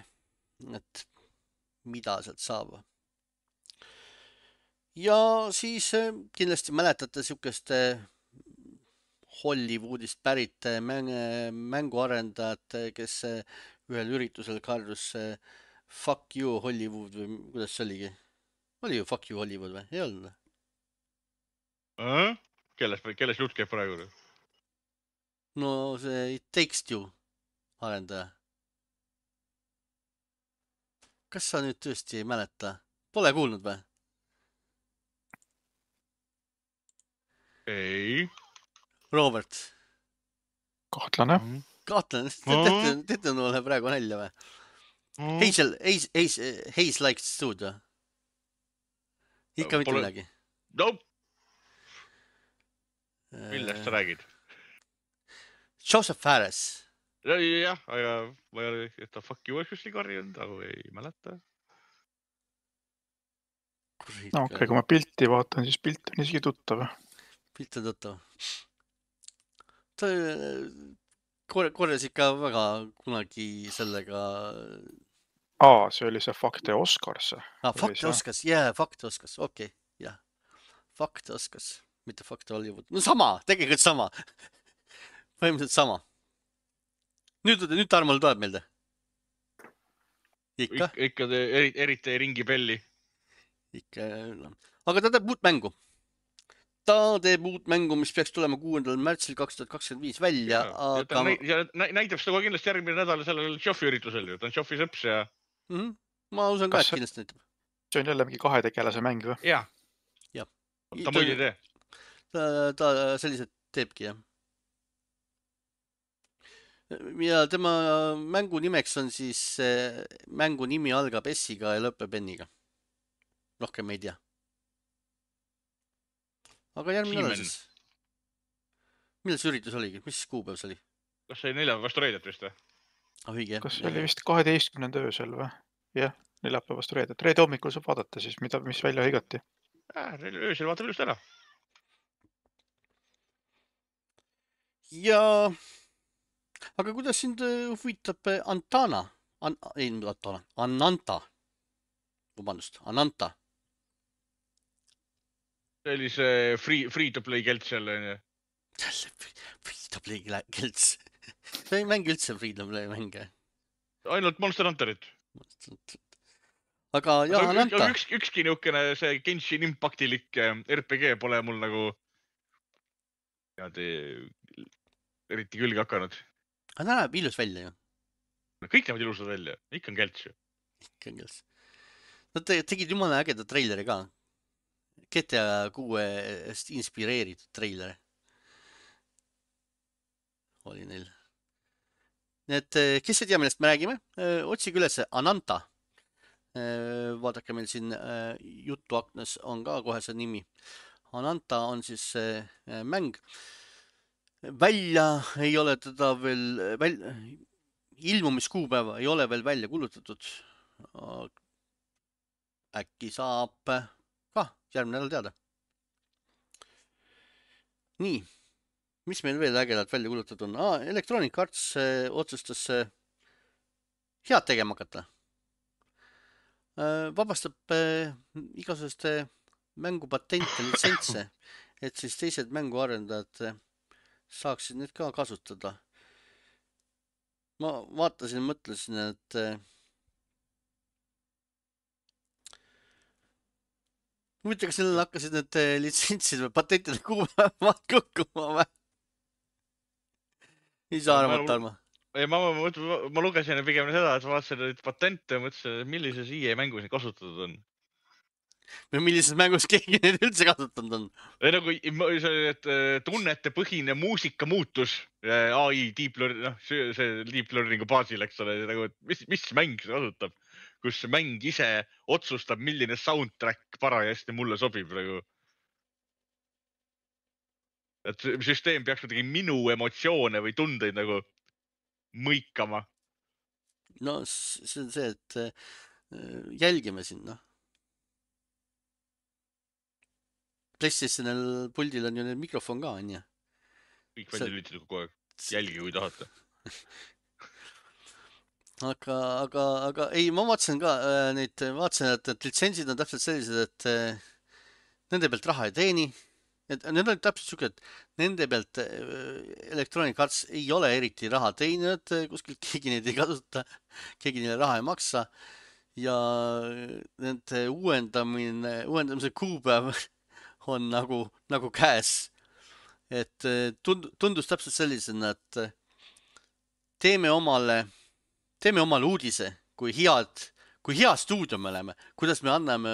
et mida sealt saab. Ja siis kindlasti mäletate sihukest Hollywoodist pärit mänguarendajat, kes ühel üritusel karjus fuck you Hollywood või kuidas see oligi? Oli ju fuck you Hollywood või? Ei olnud? Kelles jutt käib praegu? No see Takes Two arendaja. kas sa nüüd tõesti ei mäleta? Pole kuulnud või? ei. Robert. Kahtlane. Kahtlen, teete mulle praegu nälja või? Hayes Likes Studio. Ikka mitte midagi. Nope. Millest sa räägid? Joseph Fares. Jah, aga ma ei ole, et ta fuck you kuskil karjunud, aga ei mäleta. No okei, kui ma pilti vaatan, siis pilt on isegi tuttav. Pilt on tuttav. Ta korjas ikka väga kunagi sellega... See oli see Fakte Oscars. Fakte Oscars, jaa, Fakte Oscars, okei, jah. Fakte Oscars, mitte Fakte Hollywood. No sama, tegelikult sama. Põhimõtteliselt sama. Nüüd Tarmol tuleb meelde. Ikka? Ikka eriti ringi pelli. Ikka, aga ta teeb uut mängu. Ta teeb uut mängu, mis peaks tulema 6. märtsil 2025 välja. Aga... näitab seda kohe kindlasti järgmine nädal sellel Joffi üritusel ju. Ta on Joffi sõps ja... Ma usun ka, et kindlasti näitab. See on jälle mingi 2 tegelase mäng või? Jah. Ta muid ei tee. Ta sellised teebki, jah. Ja tema mängu nimeks on siis, mängu nimi algab S-iga ja lõpeb N-iga. Rohkem ei tea. Aga järgmine nädal siis. Millal see üritus oligi? Mis kuupäev see oli? Kas see 4 vastu reedet vist või? Õige. Kas see oli vist 12. öösel või? Jah, 4 vastu reedet. Reede hommikul saab vaadata siis, mis välja hõigati. Öösel vaatab just ära. Ja... Aga kuidas sind huvitab Ananta? Ananta. See oli see free-to-play kelts jälle. Free-to-play kelts. See ei mängi üldse free-to-play mänge. Ainult Monster Hunterit. Aga jah, Ananta. Ükski niukene see Genshin Impactilik RPG pole mul nagu eriti külge hakanud. Aga ta näeb ilus välja ju. Kõik näevad ilusad välja. Ikka on kelts ju. Ikka on kelts. Nad tegid jumala ägeda treileri ka. GTA 6 inspireeritud treileri. Oli neil. Nii et, kes ei tea, millest me räägime, otsige üles Ananta. Vaadake meil siin jutuaknas on ka kohe see nimi. Ananta on siis mäng. Välja ei ole teda veel, ilmumiskuupäeva ei ole veel välja kulutatud. Äkki saab ka järgmine nädal teada. Nii, mis meil veel ägedalt välja kulutatud on? Electronic Arts otsustas head tegema hakata. Vabastab igasuguste mängupatente, litsentse, et siis teised mänguarendajad saaksid need ka kasutada. Ma vaatasin, mõtlesin, et huvitav, kas sellel hakkasid need litsentsid või patentide kuupäevad kukkuma või? Ei saa arvata, Tarmo. Ma lugesin pigem seda, et vaatasin neid patente ja mõtlesin, et millises EA mängus neid kasutatud on. Või millises mängus keegi neid üldse kasutanud on? Nagu tunnete põhine muusika muutus AI deep learningu baasil, eks ole, nagu, mis mäng see kasutab, kus mäng ise otsustab, milline soundtrack parajasti mulle sobib. Nagu. Et süsteem peaks kuidagi minu emotsioone või tundeid nagu mõikama. No see on see, et jälgime sinna. PlayStationil puldil on ju need mikrofon ka, on ju? Kõik välja lülitatud kogu aeg. Jälgi, kui tahate. Aga ei, ma vaatasin ka neid, et litsentsid on täpselt sellised, et nende pealt raha ei teeni. Need on täpselt siuke, et nende pealt Electronic Arts ei ole eriti raha teeninud, kuskilt keegi neid ei kasuta, keegi neile raha ei maksa. Ja nende uuendamise kuupäev on nagu käes. Et tundus täpselt sellisena, et teeme omale uudise, kui head kui hea stuudio me oleme, kuidas me anname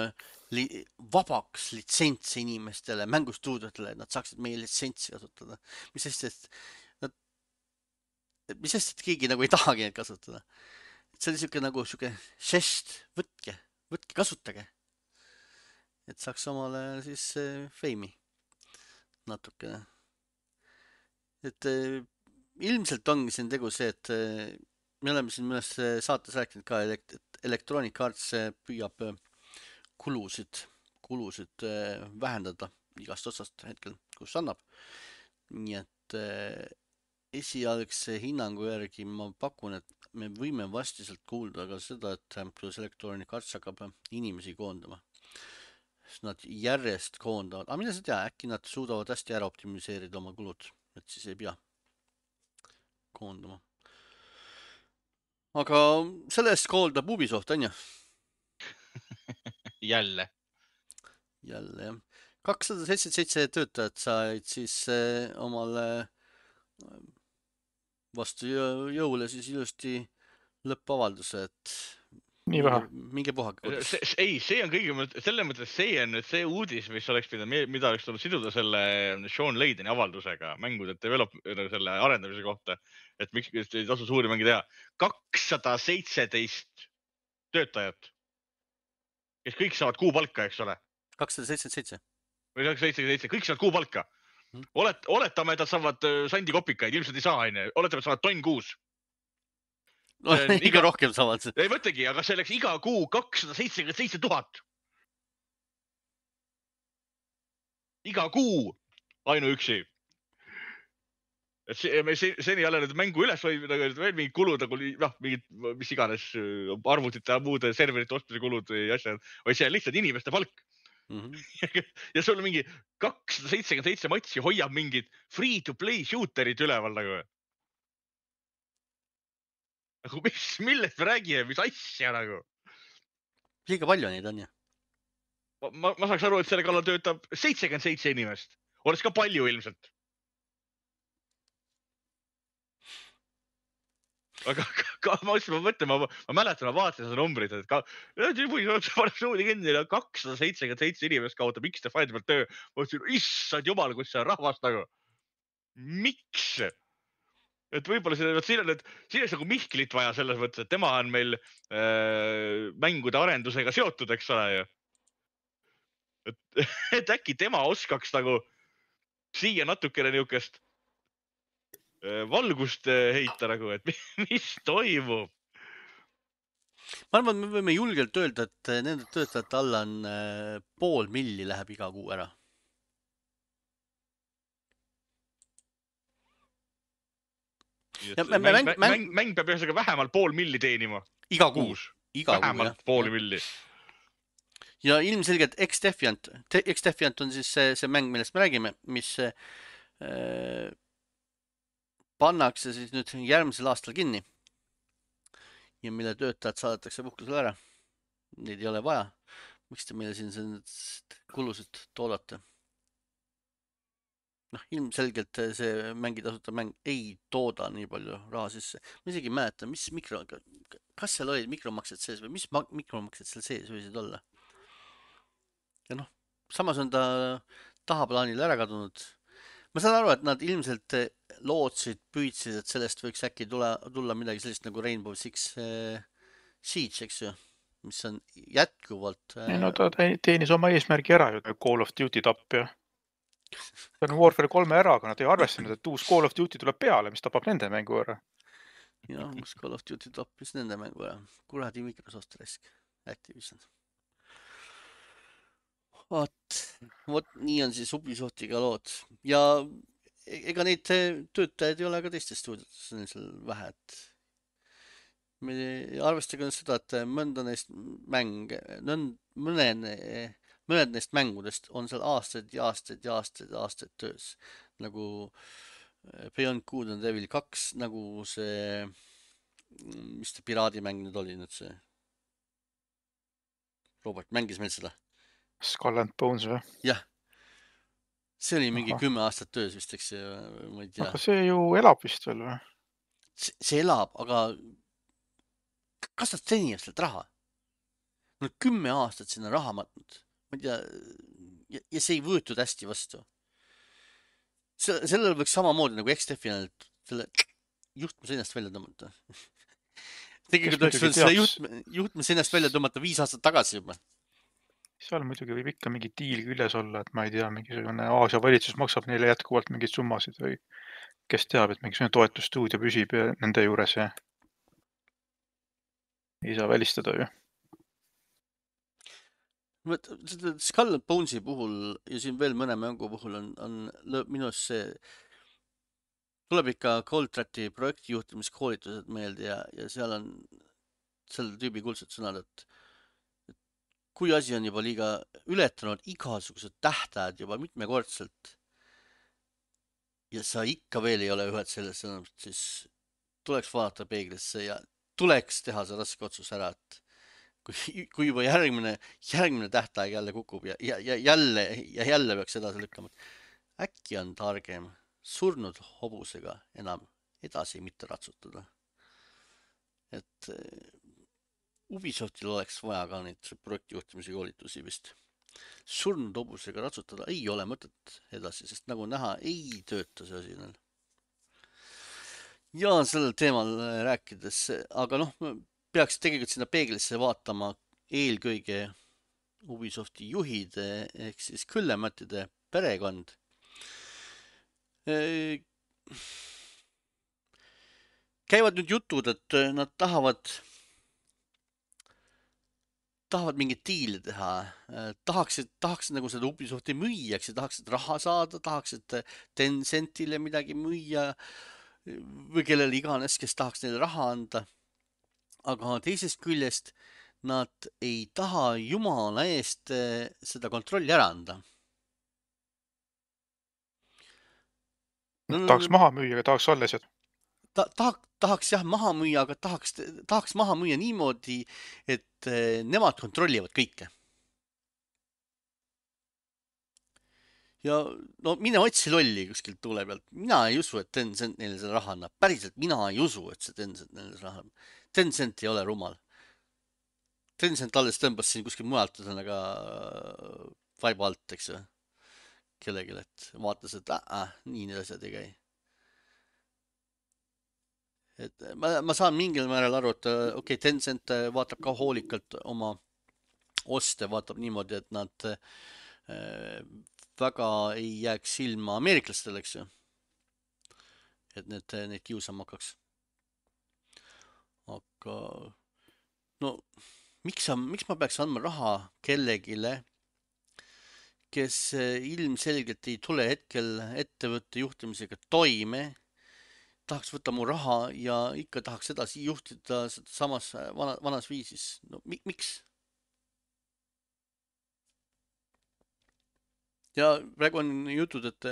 vabaks litsentse inimestele, mängustuudiotele, et nad saaksid meie litsentsi kasutada. mis sest, et keegi nagu ei tahagi neid kasutada. See oli siuke žest, võtke, kasutage. Et saaks omale siis feimi natukene. Et ilmselt ongi siin tegu see, et me oleme siin mõnes saates rääkinud ka, et Electronic Arts püüab kulusid vähendada igast otsast hetkel, kus annab. Nii et esialgse hinnangu järgi ma pakun, et me võime vasti sealt kuulda ka seda, et kuidas Electronic Arts hakkab inimesi koondama. Sest nad järjest koondavad, aga mida sa tea, äkki nad suudavad hästi ära optimiseerida oma kulud, et siis ei pea koondama. Aga selle eest kooldab Ubisoft, on ju? Jälle, jah. 277 töötajat said siis omale vastu jõule siis ilusti lõppavalduse, et nii vähe. Minge puhake. Ei, see on kõige mõttes, selles mõttes see on nüüd see uudis, mis oleks pidanud, mida oleks tulnud siduda selle Sean Layden'i avaldusega mängude selle arendamise kohta, et miks ei tasu suuri mänge teha. 217 töötajat, kes kõik saavad kuupalka, eks ole. 277. Või 277, kõik saavad kuupalka. Oletame, et nad saavad sandi kopikaid, ilmselt ei saa, oletame, et saavad tonn kuus. No, iga rohkem saavad. Ei mõtlegi, aga see oleks iga kuu 277 000. Iga kuu ainuüksi. Et seni jälle need mängu üles või veel mingid kulud, mingid, mis iganes arvutite ja muude serverite ostmise kulud või asjad, või see on lihtsalt inimeste palk. Ja sul mingi 277 matsi hoiab mingid free-to-play shooterid üleval nagu. Millest me räägime, mis asja nagu? Liiga palju neid on, jah? Ma saaks aru, et selle kallal töötab 77 inimest. Oleks ka palju ilmselt. Aga ma mäletan, ma vaatasin seda numbrit, et paneb suudi kinni ja 277 inimest kaotab X-Define'i pealt töö. Ma mõtlesin, issand jumal, kus see on rahvast nagu. Miks? Et võib-olla siin on nagu Mihklit vaja selles mõttes, et tema on meil mängude arendusega seotud, eks ole. Et äkki tema oskaks nagu siia natukene niukest valgust heita nagu, et mis toimub. Ma arvan, me võime julgelt öelda, et nende töötajate alla on 500 000 läheb iga kuu ära. Mäng peab ühesõnaga vähemalt 500 000 teenima. Iga kuus. Vähemalt 500 000. Ja ilmselgelt X-Defiant on siis see mäng, millest me räägime, mis pannakse siis nüüd järgmisel aastal kinni. Ja mille töötajad saadetakse puhkusele ära. Neid ei ole vaja. Miks te meile siin kulusid toodate? Ilmselgelt see mängitasuta mäng ei tooda nii palju raha sisse. Ma isegi ei mäleta, kas seal olid mikromaksed sees või mis mikromaksed seal sees võisid olla. Ja samas on ta tahaplaanil ära kadunud. Ma saan aru, et nad ilmselt lootsid, püüdsid, et sellest võiks äkki tulla midagi sellist nagu Rainbow Six Siege, eks ju, mis on jätkuvalt... No ta teenis oma eesmärgi ära ju, Call of Duty tapp ja see on Warfare 3 ära, aga nad ei arvestanud, et uus Call of Duty tuleb peale, mis tapab nende mängu ära. Ja, uus Call of Duty tappis nende mängu ära. Kuradi Microsoft risk. Activision. Vot nii on siis Ubisoftiga lood. Ja ega neid töötajaid ei ole ka teistes stuudiotes vähe. Me arvestage seda, et mõned neist mängudest on seal aastaid ja aastaid töös. Nagu Beyond Good and Evil 2, nagu see, mis see piraadimäng nüüd oli nüüd see? Robert mängis meil seda? Skull and Bones või? Jah. See oli mingi 10 aastat töös vist, eks see, ma ei tea. Aga see ju elab vist veel või? See elab, aga kas nad teenivad sealt raha? Nad 10 aastat sinna raha matnud. Ma ei tea, ja see ei võetud hästi vastu. Sellel võiks samamoodi nagu X-Definal selle juhtme seinast välja tõmmata. Tegelikult oleks võinud selle juhtme seinast välja tõmmata 5 aastat tagasi juba. Seal muidugi võib ikka mingi diil küljes olla, et ma ei tea, mingisugune Aasia valitsus maksab neile jätkuvalt mingeid summasid või kes teab, et mingisugune toetusstuudio püsib nende juures ja ei saa välistada ju. Skull and Bonesi puhul ja siin veel mõne mängu puhul on minu arust see tuleb ikka Coldtrati projektijuhtimiskoolitused meelde ja seal on selle tüübi kuldsed sõnad, et kui asi on juba liiga ületanud igasugused tähtajad juba mitmekordselt ja sa ikka veel ei ole ühed selles sõnumit, siis tuleks vaadata peeglisse ja tuleks teha see raske otsus ära, et kui juba järgmine tähtaeg jälle kukub ja jälle peaks edasi lükkama. Äkki on targem surnud hobusega enam edasi mitte ratsutada. Et Ubisoftil oleks vaja ka neid projektijuhtimise koolitusi vist. Surnud hobusega ratsutada ei ole mõtet edasi, sest nagu näha, ei tööta see asi neil. Ja sellel teemal rääkides, aga peaks tegelikult sinna peeglisse vaatama eelkõige Ubisofti juhid ehk siis Küllemättide perekond. Käivad nüüd jutud, et nad tahavad mingit diili teha, tahaksid nagu seda Ubisofti müüjaks ja tahaksid raha saada, tahaksid Tencentile midagi müüa või kellele iganes, kes tahaks neile raha anda. Aga teisest küljest nad ei taha jumala eest seda kontrolli ära anda. Tahaks maha müüa, aga tahaks alles. Tahaks jah maha müüa, aga tahaks maha müüa niimoodi, et nemad kontrollivad kõike. Ja mine otsi lolli kuskilt tuule pealt. Mina ei usu, et Tencent neile selle raha annab. Päriselt mina ei usu, et see Tencent neile selle raha annab. Tencent ei ole rumal. Tencent alles tõmbas siin kuskil mujalt ühesõnaga vaiba alt, eks ju. Kellelegi, et vaatas, et nii need asjad ei käi. Et ma saan mingil määral aru, et okei, Tencent vaatab ka hoolikalt oma oste, vaatab niimoodi, et nad väga ei jääks silma ameeriklastel, eks ju. Et need kiusama hakkaks. Aga miks ma peaks andma raha kellegile, kes ilmselgelt ei tule hetkel ettevõtte juhtimisega toime, tahaks võtta mu raha ja ikka tahaks edasi juhtida samas vanas viisis. Miks? Ja praegu on jutud, et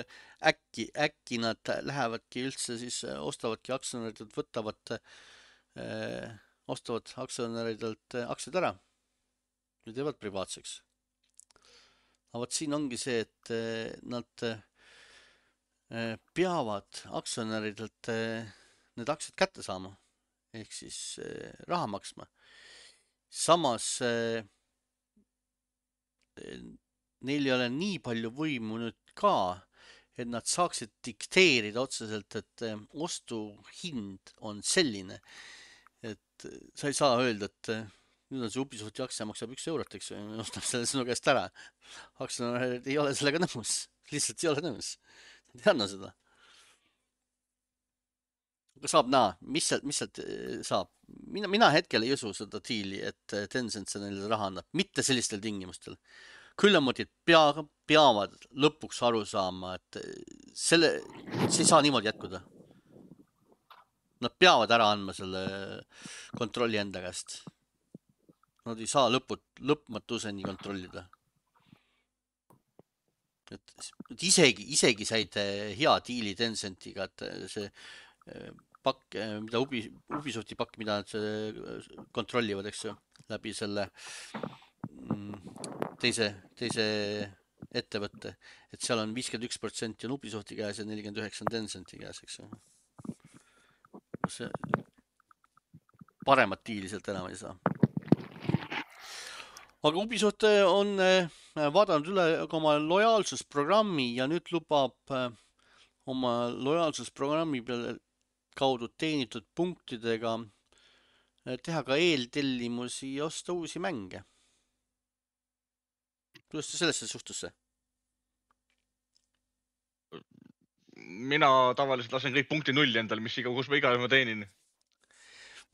äkki nad lähevadki üldse siis ostavadki aktsionäridelt, ostavad aktsionäridelt aktsiad ära ja teevad privaatseks. Aga võt siin ongi see, et nad peavad aktsionäridelt need aktsiad kätte saama ehk siis raha maksma. Samas neil ei ole nii palju võimu nüüd ka, et nad saaksid dikteerida otseselt, et ostuhind on selline, et sa ei saa öelda, et nüüd on see Ubisofti aktsia maksab 1 eurot, eks ju, ostab selle sinu käest ära. Aktsionärid ei ole sellega nõus, lihtsalt ei ole nõus. Nad ei anna seda. Aga saab näha, mis sealt saab. Mina hetkel ei usu seda diili, et Tencent see neile raha annab, mitte sellistel tingimustel. Küllemotid peavad lõpuks aru saama, et see ei saa niimoodi jätkuda. Nad peavad ära andma selle kontrolli enda käest. Nad ei saa lõpmatuseni kontrollida. Et isegi said hea diili Tencentiga, et see pakk, mida Ubisofti pakk, mida nad kontrollivad, eks ju, läbi selle teise ettevõtte, et seal on 51% on Ubisofti käes ja 49% on Tencenti käes, eks ju. See paremat diili sealt enam ei saa. aga Ubisoft on vaadanud üle ka oma lojaalsusprogrammi ja nüüd lubab oma lojaalsusprogrammi peale kaudu teenitud punktidega teha ka eeltellimusi ja osta uusi mänge. Kuidas te sellesse suhtusse? Mina tavaliselt lasen kõik punkti nulli endal, kus ma igal ma teenin.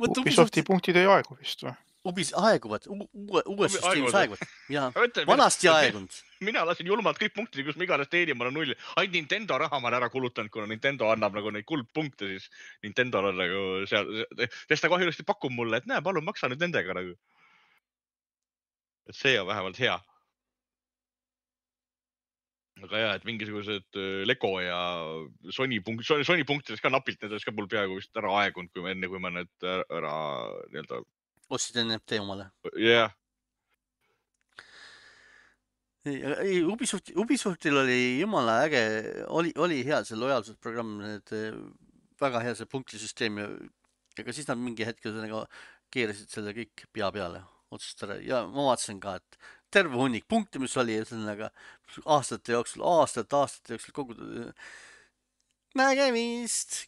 Ubisofti punktid ei aegu vist või? Aeguvad, uues süsteemis aeguvad. Ja vanasti aegunud. Mina lasin julmalt kõik punktid, kus ma iganes teenin, ma olen nulli. Ainult Nintendo raha ma olen ära kulutanud, kuna Nintendo annab nagu neid kuldpunkte, siis Nintendo on nagu seal, sest ta kahjuliselt pakub mulle, et näe, palun maksa nüüd nendega nagu. Et see on vähemalt hea. Aga jah, et mingisugused Lego ja Sony punktidest ka napilt, need oleks ka mul peaaegu vist ära aegunud, enne kui ma need ära nii-öelda... Ostsid NFT omale? Jah. Ubisoftil oli jumala äge, oli hea see lojaalsusprogramm, need väga hea see punktisüsteem ja ka siis nad mingi hetkel keerasid selle kõik pea peale otsust ära ja ma vaatasin ka, et terve hunnik punkte, mis oli aastate jooksul kogutud nägemist,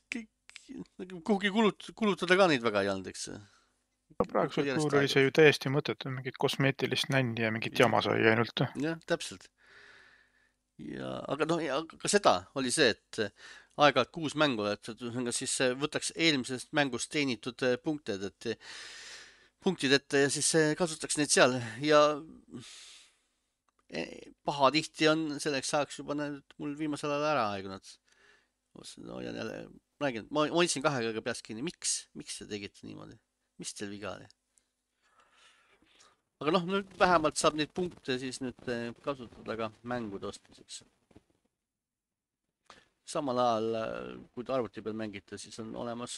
kuhugi kulutada ka neid väga ei olnud, eks. Praegusel kuul oli see ju täiesti mõttetu, mingit kosmeetilist nänni ja mingit jama sai ainult. Jah, täpselt. Aga ka seda oli see, et aeg-ajalt 6 mängu, et siis võtaks eelmisest mängust teenitud punktid ette ja siis kasutaks neid seal ja paha tihti on selleks ajaks juba mul viimasel ajal ära aegunud. Ma hoidsin 2 käega peast kinni. Miks te tegite niimoodi? Mis teil viga oli? Aga nüüd vähemalt saab neid punkte siis nüüd kasutada ka mängude ostmiseks. Samal ajal, kui te arvuti peal mängite, siis on olemas,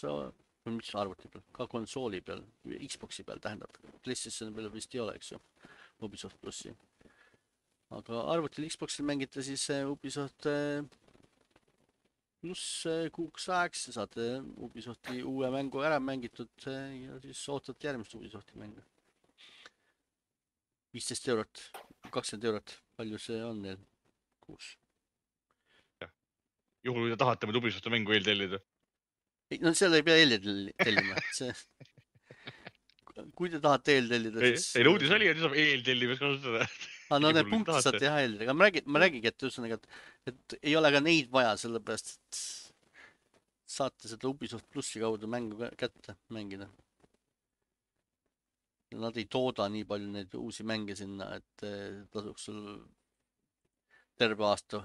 mis arvuti peal, ka konsooli peal, Xboxi peal tähendab, PlayStation peal vist ei ole, eks ju, Ubisoft Plussi. Aga arvutil Xboxil mängite siis Ubisoft pluss kuuks ajaks, saate Ubisofti uue mängu ära mängitud ja siis ootate järgmist Ubisofti mängu. 15 eurot, 20 eurot, palju see on neil kuus? Juhul, kui te tahate meid Ubisofti mängu eeltellida. No seal ei pea eeltellima. Kui te tahate eeltellida, siis... Ei, uudis oli, et saab eeltellimis kasutada. No need punktid saate teha eeltellida. Aga ma räägigi, et ei ole ka neid vaja, sellepärast, et saate seda Ubisoft Plussi kaudu mängu kätte mängida. Nad ei tooda nii palju neid uusi mänge sinna, et tasuks sul terve aasta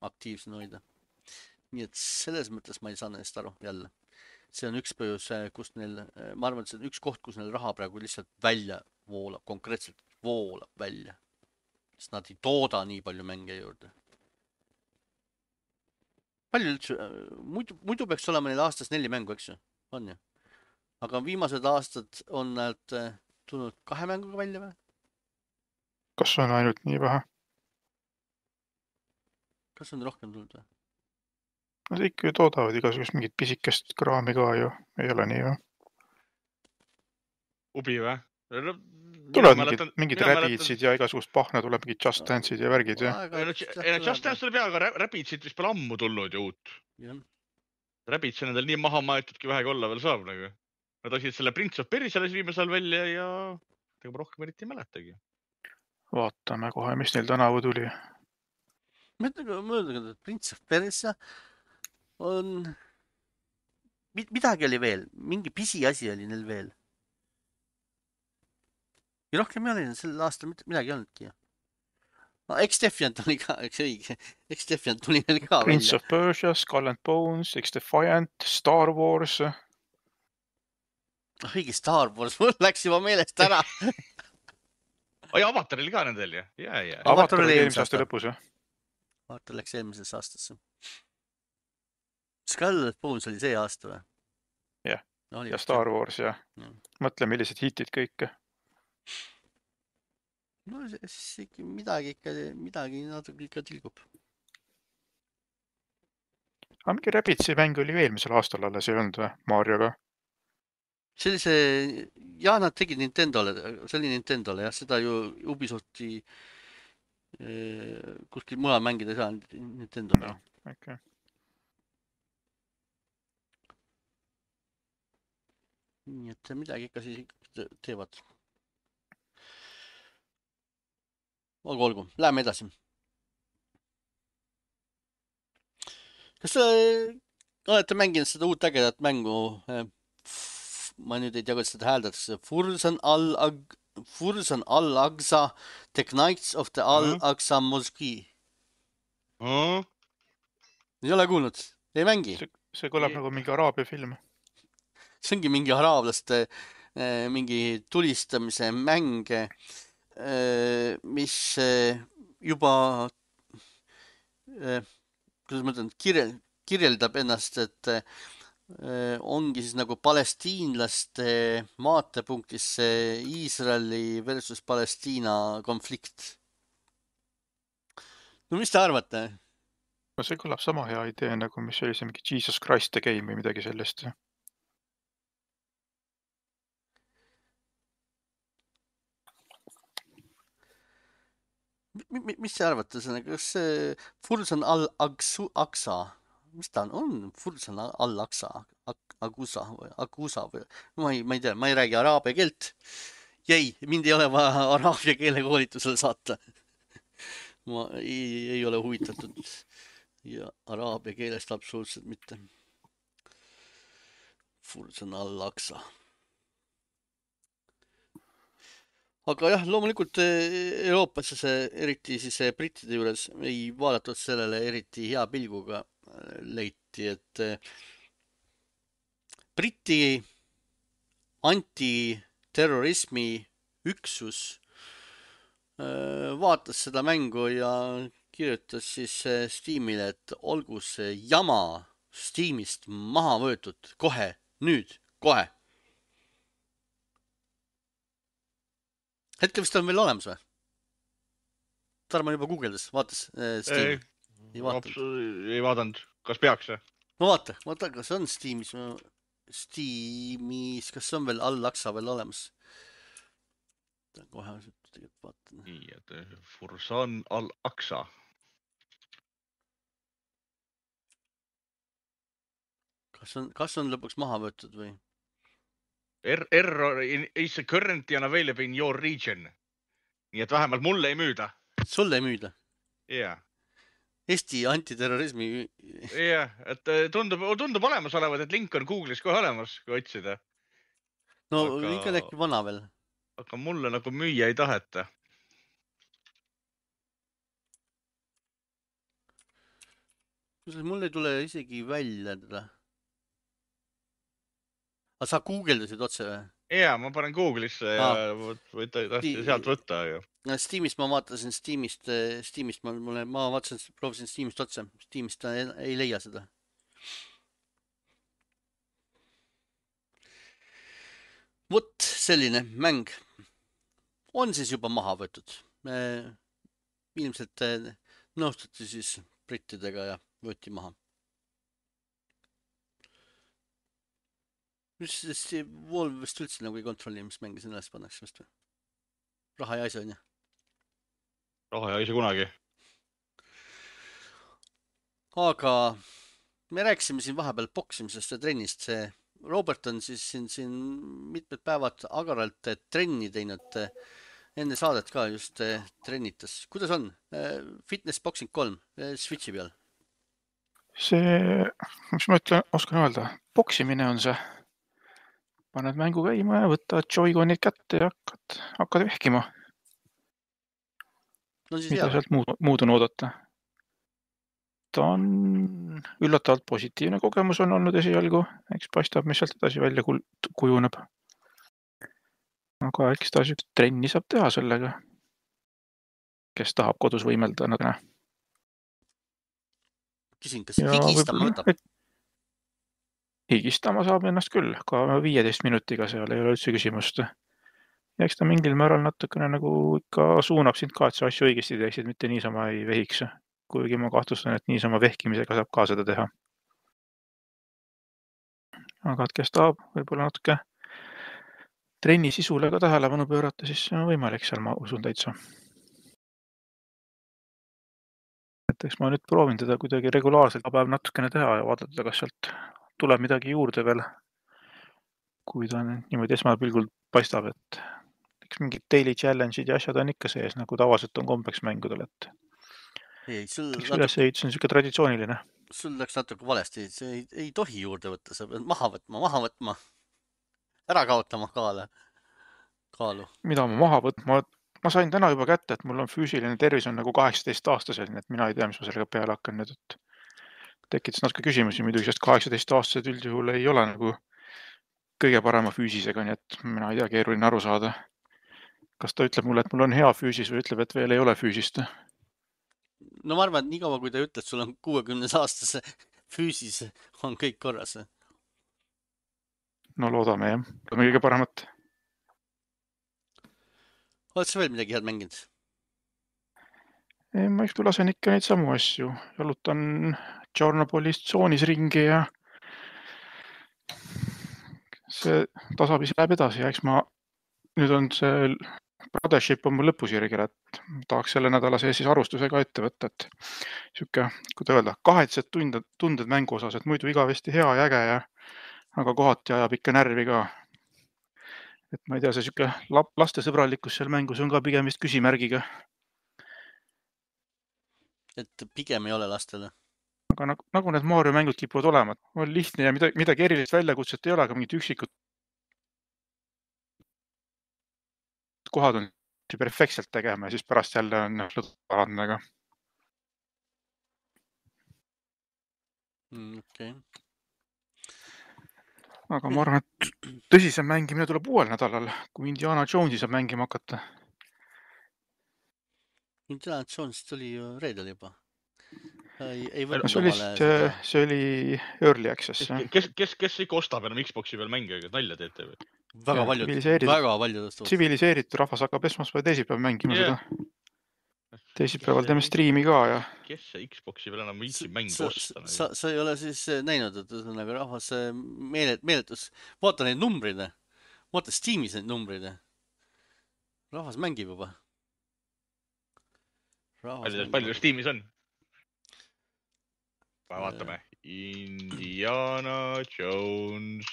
aktiivsena hoida. Nii et selles mõttes ma ei saa neist aru jälle. See on üks põhjus, kus neil, ma arvan, et see on üks koht, kus neil raha praegu lihtsalt välja voolab, konkreetselt voolab välja. Sest nad ei tooda nii palju mänge juurde. Palju üldse, muidu peaks olema neil aastas 4 mängu, eks ju? On ju? Aga viimased aastad on nad tulnud 2 mänguga välja või? Kas on ainult nii vähe? Kas on rohkem tulnud või? Nad ikka ju toodavad igasugust mingit pisikest kraami ka ju, ei ole nii või? Ubi või? Tulevad mingid Rabidsid ja igasugust pahna tuleb mingid Just Dance'id ja värgid ja? Just Dance tuleb hea, aga Rabidsid vist pole ammu tulnud ju uut. Rabidsi on endal nii maha maetudki vähegi olla veel saab nagu. Nad olid selle Prince of Persia viimasel välja ja ega ma rohkem eriti ei mäletagi. Vaatame kohe, mis neil tänavu tuli. Mõelda, et Prince of Persia on... Midagi oli veel, mingi pisi asi oli neil veel. Ja rohkem ei ole sel aastal midagi olnudki. X-Defiant oli ka, eks õige. X-Defiant tuli neil ka Prince of Persia, Skull and Bones, X-Defiant, Star Wars. Õige, Star Wars, mul läks juba meelest ära. Oi, Avatar oli ka nendel ju? Avatar oli eelmise aasta lõpus. Avatar läks eelmises aastasse. Skull and Bones oli see aasta või? Jah, ja Star Wars ja mõtle, millised hitid kõik. No siis midagi natuke ikka tilgub. Aga mingi Rabidsi mäng oli eelmisel aastal alles ei olnud või, Marioga? sellise, jah, nad tegid Nintendole, see oli Nintendole, jah, seda ju Ubisofti kuskil mujal mängida ei saa Nintendole. No, okei. Nii et midagi ikka siis teevad. Olgu, läheme edasi. Kas olete mänginud seda uut ägedat mängu? Ma nüüd ei tea, kuidas seda hääldatakse. Fursan Al-Aqsa, The Knights of the Al-Aqsa Mosque. Ei ole kuulnud? Ei mängi? See kõlab nagu mingi araabia film. See ongi mingi araablaste mingi tulistamise mäng, mis juba kuidas ma ütlen, kirjeldab ennast, et ongi siis nagu palestiinlaste vaatepunktis see Iisraeli versus Palestiina konflikt. No mis te arvate? No see kõlab sama hea idee nagu mis oli see mingi Jesus Christ the Game või midagi sellest. Mis te arvate, kas see Fursan Al-Aqsa, mis ta on? Fursan Al-Aqsa, Akusa või? Ma ei tea, ma ei räägi araabia keelt. Mind ei ole vaja araabia keele koolitusele saata. Ma ei ole huvitatud ja araabia keelest absoluutselt mitte. Fursan Al-Aqsa. Aga jah, loomulikult Euroopas eriti siis brittide juures ei vaadatud sellele eriti hea pilguga. Leiti, et Briti antiterrorismi üksus vaatas seda mängu ja kirjutas siis Steamile, et olgu see jama Steamist maha võetud kohe, nüüd, kohe. Hetkel vist on veel olemas või? Tarmo juba guugeldas, vaatas Steam. Ei vaadanud. Kas peaks või? No vaata, kas on Steamis, kas on veel Al-Aqsa veel olemas? Kohe tegelikult vaatan. Nii, et Fursan Al-Aqsa. Kas on lõpuks maha võetud või? Error is currently unavailable in your region. Nii et vähemalt mulle ei müüda. Sulle ei müüda? Jah. Eesti antiterrorismi... Jah, et tundub olemas olevat, et link on Google'is kohe olemas, kui otsida. No ikka äkki vana veel. Aga mulle nagu müüa ei taheta. Mul ei tule isegi välja teda. Aga sa guugeldasid otse või? Jaa, ma panen Google'isse ja tahtsin sealt võtta. Steamist ma vaatasin, Steamist ma vaatasin, proovisin Steamist otse. Steamist ta ei leia seda. Vot selline mäng on siis juba maha võetud. Ilmselt nõustuti siis brittidega ja võeti maha. Valve vist üldse nagu ei kontrolli, mis mängi sinna üles pannakse vist või? Raha ja asja on ju? Raha ja asja kunagi. Aga me rääkisime siin vahepeal boksimisest ja trennist. See Robert on siis siin mitmed päevad agaralt trenni teinud. Enne saadet ka just trennitas. Kuidas on? Fitness Boxing 3 Switchi peal? See, mis ma oskan öelda, boksimine on see. Paned mängu käima ja võtad Joy-Conid kätte ja hakkad vehkima. No siis mida sealt muud on oodata? Ta on üllatavalt positiivne kogemus on olnud esialgu. Eks paistab, mis sealt edasi välja kujuneb. Aga eks ta sellist trenni saab teha sellega, kes tahab kodus võimelda. Küsin, kas higistama võtab? Higistama saab ennast küll, ka 15 minutiga seal ei ole üldse küsimust. Ja eks ta mingil määral natukene nagu ikka suunab sind ka, et sa asju õigesti teeksid, mitte niisama ei vehiks. Kuigi ma kahtlustan, et niisama vehkimisega saab ka seda teha. Aga et kes tahab, võib-olla natuke trenni sisule ka tähelepanu pöörata, siis see on võimalik seal, ma usun täitsa. Et eks ma nüüd proovin teda kuidagi regulaarselt päev natukene teha ja vaadata, kas sealt tuleb midagi juurde veel. Kui ta niimoodi esmapilgul paistab, et eks mingid daily challenge'id ja asjad on ikka sees, nagu tavaliselt on kombeks mängudel, et eks ülesehitus on siuke traditsiooniline. Sul läks natuke valesti, see ei tohi juurde võtta, sa pead maha võtma, ära kaotama kaalu. Mida ma maha võtma? Ma sain täna juba kätte, et mul on füüsiline tervis on nagu 18-aastasel, nii et mina ei tea, mis ma sellega peale hakkan nüüd, et tekitas natuke küsimusi muidugi, sest 18-aastased üldjuhul ei ole nagu kõige parema füüsisega, nii et mina ei tea, keeruline aru saada. Kas ta ütleb mulle, et mul on hea füüsis või ütleb, et veel ei ole füüsist? No ma arvan, et nii kaua, kui ta ütleb, sul on 60-aastase füüsis, on kõik korras. No loodame, jah. Loodame kõige paremat. Oled sa veel midagi head mänginud? Ei, ma eks lasen ikka neid samu asju. Jalutan Tšornobylis tsoonis ringi ja see tasapisi läheb edasi ja eks ma nüüd on see Brothership on mul lõpusirgel, et tahaks selle nädala sees siis arvustuse ka ette võtta, et siuke, kuidas öelda, kahetsed tunded mängu osas, et muidu igavesti hea ja äge ja aga kohati ajab ikka närvi ka. Et ma ei tea, see siuke lastesõbralikkus seal mängus on ka pigem vist küsimärgiga. Et pigem ei ole lastele. Aga nagu need Mario mängud kipuvad olema, on lihtne ja midagi erilist väljakutset ei ole, aga mingid üksikud kohad on perfektselt tegema ja siis pärast jälle on lõdvarandega. Okay. Aga ma arvan, et tõsisem mängimine tuleb uuel nädalal, kui Indiana Jonesi saab mängima hakata. Indiana Jones tuli ju reedel juba. See oli Early Access. Kes ikka ostab enam Xboxi peal mänge, nalja teete või? Väga paljud. Tsiviliseeritud rahvas hakkab esmaspäev teisipäev mängima seda. Teisipäeval teeme striimi ka ja... Kes see Xboxi veel enam viitsib mängu osta? Sa ei ole siis näinud, et nagu rahvas meeletus. Vaata neid numbreid. Vaata Steamis neid numbreid. Rahvas mängib juba. Palju Steamis on? Vaatame. Indiana Jones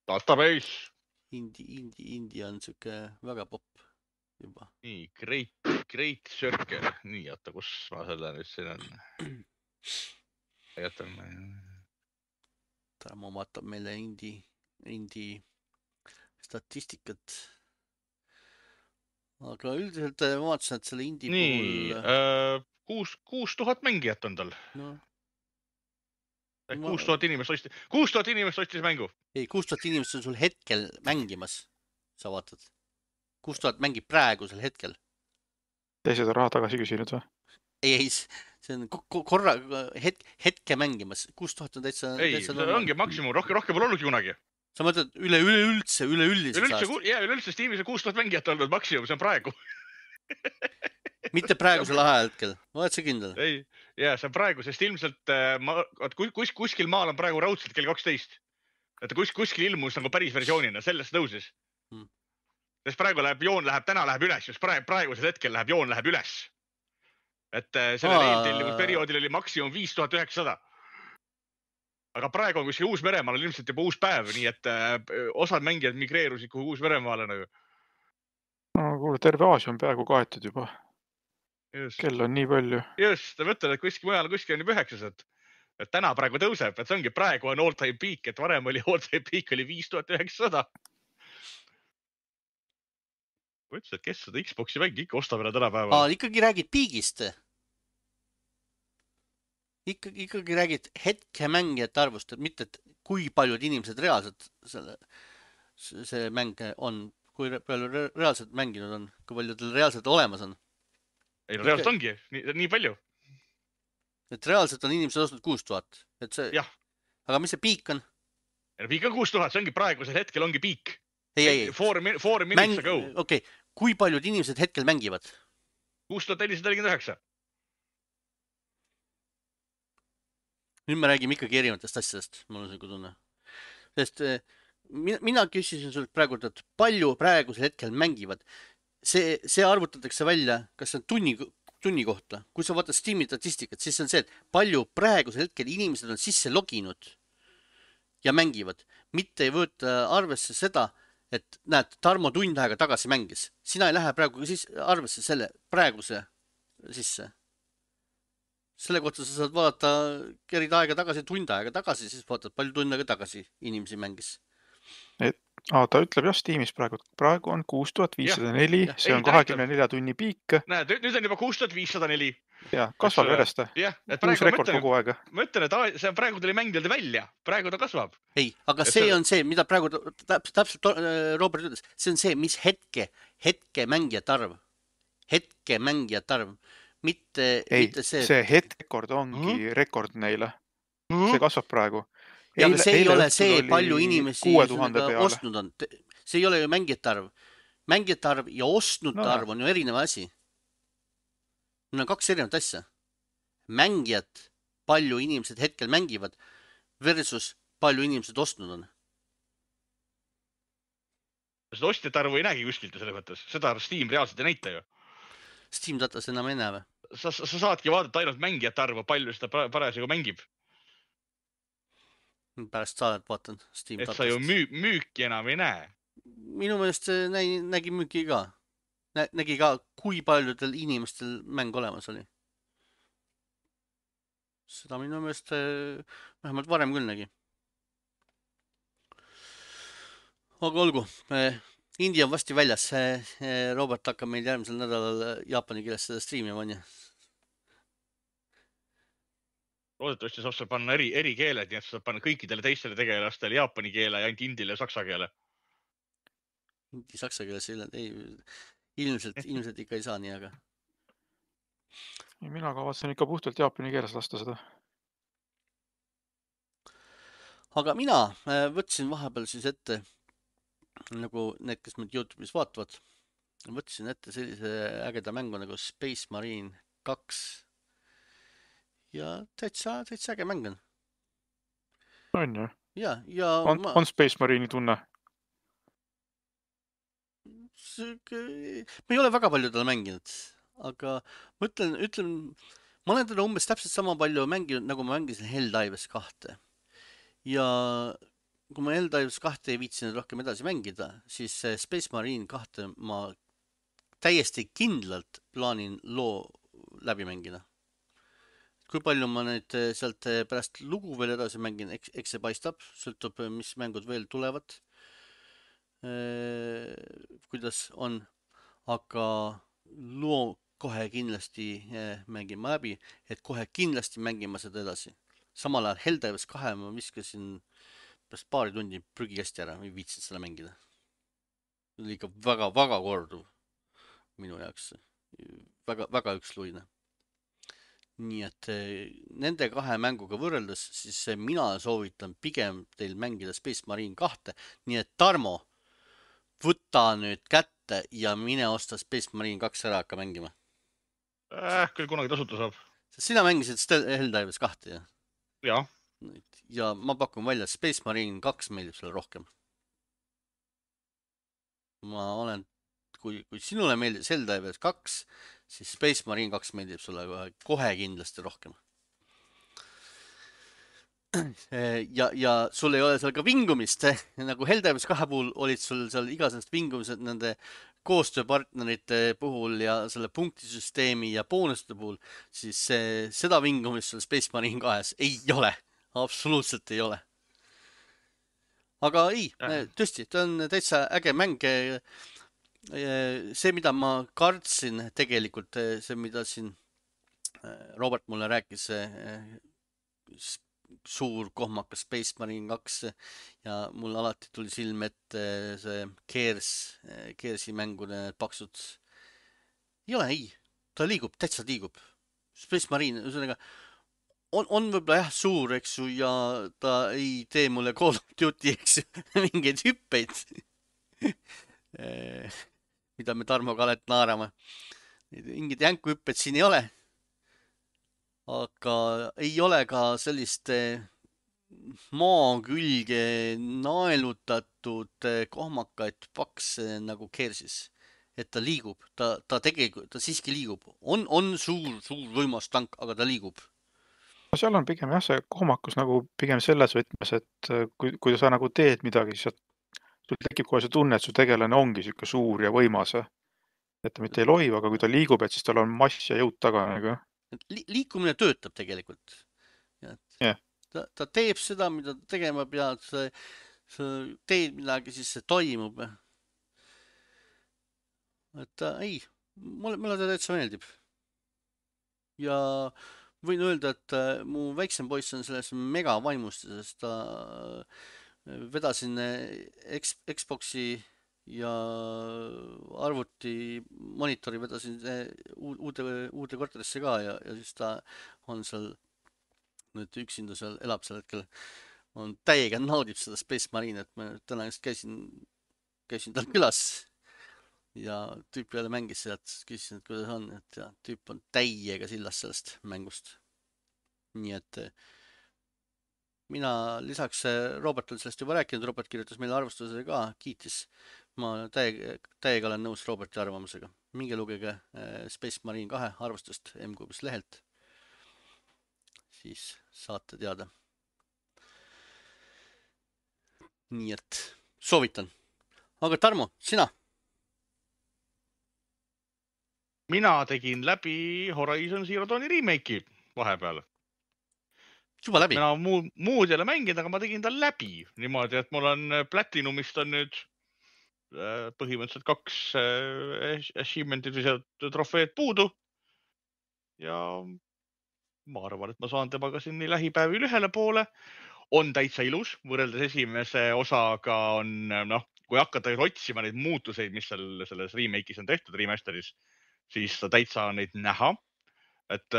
database. Indie on siuke väga popp juba. Nii, Great Circle. Nii, oota, kus ma selle nüüd siin on? Ma vaatan meile indie statistikat. Aga üldiselt vaatasin, et selle indie puhul... 6000 mängijat on tal. No. 6000 inimest ostis mängu. Ei, 6000 inimest on sul hetkel mängimas. Sa vaatad. 6000 mängib praegusel hetkel. Teised on raha tagasi küsinud või? Ei, see on korra hetke mängimas. 6000 on täitsa... Ei, see ongi maksimum. Rohkem pole olnudki kunagi. Sa mõtled üleüldises aastas? Üleüldse Steamis on 6000 mängijat olnud maksimum. See on praegu. Mitte praegusel ajahetkel. Oled sa kindel? Ei, see on praegu, sest ilmselt kuskil maal on praegu raudselt kell 12. Et kuskil ilmus nagu päris versioonina, sellest tõusis. Sest praegu täna läheb üles, just praegusel hetkel joon läheb üles. Et selle reetellimus perioodil oli maksimum 5900. Aga praegu on kuskil Uus-Meremaal ilmselt juba uus päev, nii et osad mängijad migreerusid kuhu Uus-Meremaale nagu. No kuule, terve Aasia on peaaegu kaetud juba. Kell on nii palju. Just, mõtlen, et kuskil mujal on juba 900. Et täna praegu tõuseb, et see ongi praegu on all-time peak, et varem oli all-time peak oli 5900. Ma ütlesin, et kes seda Xboxi mängi ikka ostab enam tänapäeval? Ikkagi räägid piigist. Ikkagi räägid hetke mängijate arvust, et mitte et kui paljud inimesed reaalselt see mäng on, kui palju reaalselt mänginud on, kui palju tal reaalselt olemas on. Ei, reaalselt ongi, nii palju. Et reaalselt on inimesed ostnud 6000. Jah. Aga mis see piik on? Piik on 6000, see ongi praegusel hetkel ongi piik. Ei. 4 minutes ago. Okei, kui paljud inimesed hetkel mängivad? 6449. Nüüd me räägime ikkagi erinevatest asjadest, mul on see tunne. Sest mina küsisin sult praegu, et palju praegusel hetkel mängivad. See arvutatakse välja, kas see on tunni kohta. Kui sa vaatad Steam'i statistikat, siis on see, et palju praegusel hetkel inimesed on sisse loginud ja mängivad. Mitte ei võeta arvesse seda, et näed, Tarmo tund aega tagasi mängis. Sina ei lähe praegu arvesse selle praeguse sisse. Selle kohta sa saad vaadata kerid aega tagasi, tund aega tagasi, siis vaatad palju tund aega tagasi inimesi mängis. Ta ütleb jah Steamis praegu. Praegu on 6504, see on 24 tunni piik. Näed, nüüd on juba 6504. Ja, kasvab järjest. Jah, et praegu rekord kogu aega. Ma ütlen, et see praegu tuli mängijad välja. Praegu ta kasvab. Ei, aga see on see, mida praegu täpselt Robert ütles. See on see, mis hetke mängijate arv. Hetke mängijate arv. Mitte see. See hetrekord ongi rekord neile. See kasvab praegu. Ja aga see ei ole see, palju inimesi ostnud on. See ei ole ju mängijate arv. Mängijate arv ja ostnute arv on ju erinev asi. Need on kaks erinevat asja. Mängijad, palju inimesed hetkel mängivad versus palju inimesed ostnud on. Seda ostjate arvu ei näegi kuskilt selle mõttes. Seda Steam reaalselt ei näita ju. Steam datas enam ei näe või? Sa saadki vaadata ainult mängijate arvu, palju seda parasjagu mängib. Pärast saadet vaatan Steam datast. Et sa ju müüki enam ei näe. Minu meelest nägi müüki ka. Nägi ka, kui paljudel inimestel mäng olemas oli. Seda minu meelest vähemalt varem küll nägi. Aga olgu, India on vasti väljas. Robert hakkab meil järgmisel nädalal jaapani keeles seda streami vanja. Loodetavasti saab seal panna eri keeled, nii et saab panna kõikidele teistele tegelastele jaapani keele ja ainult indile ja saksa keele. Indi saksa keeles ilmselt ikka ei saa nii, aga... Mina kavatsen ikka puhtalt jaapani keeles lasta seda. Aga mina võtsin vahepeal siis ette, nagu need, kes mind YouTube'is vaatavad, võtsin ette sellise ägeda mängu nagu Space Marine 2. Ja täitsa äge mäng on. On ju? Ja on Space Marine'i tunne? Ma ei ole väga palju teda mänginud, aga ma ütlen, ma olen teda umbes täpselt sama palju mänginud, nagu ma mängisin Helldivers 2. Ja kui ma Helldivers 2 ei viitsinud rohkem edasi mängida, siis Space Marine 2 ma täiesti kindlalt plaanin loo läbi mängida. Kui palju ma nüüd sealt pärast lugu veel edasi mängin, eks see paistab, sõltub, mis mängud veel tulevad, kuidas on, aga loo kohe kindlasti mängin ma läbi, et kohe kindlasti mängin ma seda edasi. Samal ajal Helldivers 2 ma viskasin pärast paari tundi prügikasti ära, ei viitsid seda mängida. See oli ikka väga korduv minu jaoks, väga üksluine. Nii et nende kahe mänguga võrreldes, siis mina soovitan pigem teil mängida Space Marine 2. Nii et Tarmo, võta nüüd kätte ja mine osta Space Marine 2 ära hakka mängima. Küll kunagi tasuta saab. Sina mängisid Helldivers 2, jah? Jah. Ja ma pakun välja, Space Marine 2 meeldib sulle rohkem. Ma olen... Kui sinule meeldib Helldivers 2, siis Space Marine 2 meeldib sulle kohe kindlasti rohkem. Ja sul ei ole seal ka vingumist, nagu Helldivers 2 puhul olid sul seal igasugused vingumised nende koostööpartnerite puhul ja selle punktisüsteemi ja boonuste puhul, siis seda vingumist sul Space Marine 2 ei ole. Absoluutselt ei ole. Aga ei, tõesti, ta on täitsa äge mäng. See, mida ma kartsin tegelikult, see, mida siin Robert mulle rääkis, suur kohmakas Space Marine 2 ja mul alati tuli silm ette see Keersi mängude paksud. Ei ole, ei. Ta liigub, täitsa liigub. Space Marine, ühesõnaga, on võib-olla jah suur, eks ju, ja ta ei tee mulle Call of Duty, eks ju, mingeid hüppeid. Mida me Tarmoga alati naarame. Mingid jänkuhüpped siin ei ole. Aga ei ole ka sellist maa külge naelutatud kohmakaid pakse nagu kersis. Et ta liigub, ta tegelikult, ta siiski liigub. On suur võimas tank, aga ta liigub. No seal on pigem jah, see kohmakus nagu pigem selles võtmes, et kui sa nagu teed midagi, siis sul tekib kohe see tunne, et su tegelane ongi siuke suur ja võimas. Et ta mitte ei lohiv, aga kui ta liigub, et siis tal on mass ja jõud taga nagu. Liikumine töötab tegelikult. Yeah. Ta teeb seda, mida ta tegema peab, sa teed midagi, siis see toimub. Et ei, mulle ta täitsa meeldib. Ja võin öelda, et mu väiksem poiss on selles mega vaimustuses, ta vedasin Xboxi ja arvuti monitori vedasin uude korterisse ka ja siis ta on seal nüüd üksinda seal elab sel hetkel, on täiega naudib seda Space Marine, et ma täna just käisin tal külas ja tüüp jälle mängis sealt, küsisin, et kuidas on, et ja, tüüp on täiega sillas sellest mängust. Nii et mina lisaks Robert on sellest juba rääkinud, Robert kirjutas meile arvustuse ka, kiitis. Ma täiega olen nõus Roberti arvamusega. Minge lugege Space Marine 2 arvustust M-Cubis lehelt. Siis saate teada. Nii et soovitan. Aga Tarmo, sina? Mina tegin läbi Horizon Zero Dawni remake'i vahepeal. Juba läbi? Mina muud jälle mängida, aga ma tegin ta läbi. Niimoodi, et mul on Platinumist on nüüd põhimõtteliselt 2 achievement'id või trofeed puudu. Ja ma arvan, et ma saan temaga siin nii lähipäevil ühele poole. On täitsa ilus, võrreldes esimese osaga on, kui hakata otsima neid muutuseid, mis selles remake'is on tehtud, remasteris, siis täitsa on neid näha. Et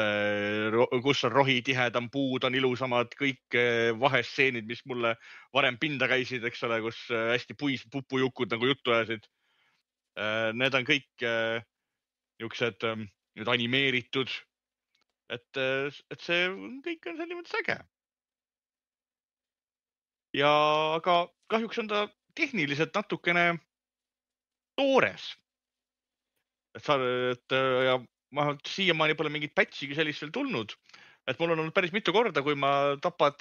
kus on rohi tihedam, puud on ilusamad, kõik vahestseenid, mis mulle varem pinda käisid, eks ole, kus hästi pupujukud nagu juttu ajasid. Need on kõik niisugused nüüd animeeritud. Et see kõik on selline mõttes äge. Ja aga kahjuks on ta tehniliselt natukene toores. Ja ma siiamaani pole mingit patchigi sellist veel tulnud. Et mul on olnud päris mitu korda, kui ma tapad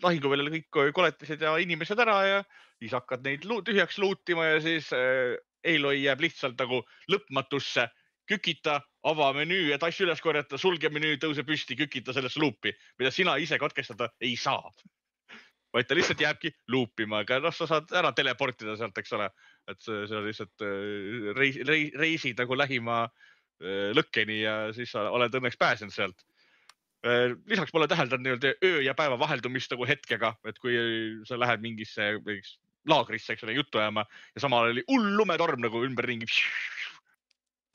lahinguväljal kõik koletised ja inimesed ära ja siis hakkad neid tühjaks luutima ja siis Aloy jääb lihtsalt nagu lõpmatusse. Kükita, ava menüü, et asju üles korjata, sulge menüü, tõuse püsti, kükita sellesse luupi, mida sina ise katkestada ei saa. Vaid ta lihtsalt jääbki luupima, aga sa saad ära teleportida sealt, eks ole. Et see on lihtsalt reisid nagu lähima lõkkeni ja siis sa oled õnneks pääsenud sealt. Lisaks pole täheldanud öö ja päeva vaheldumist nagu hetkega, et kui sa lähed mingisse laagrisse, eks ole, juttu ajama ja samal oli lumetorm nagu ümberringi.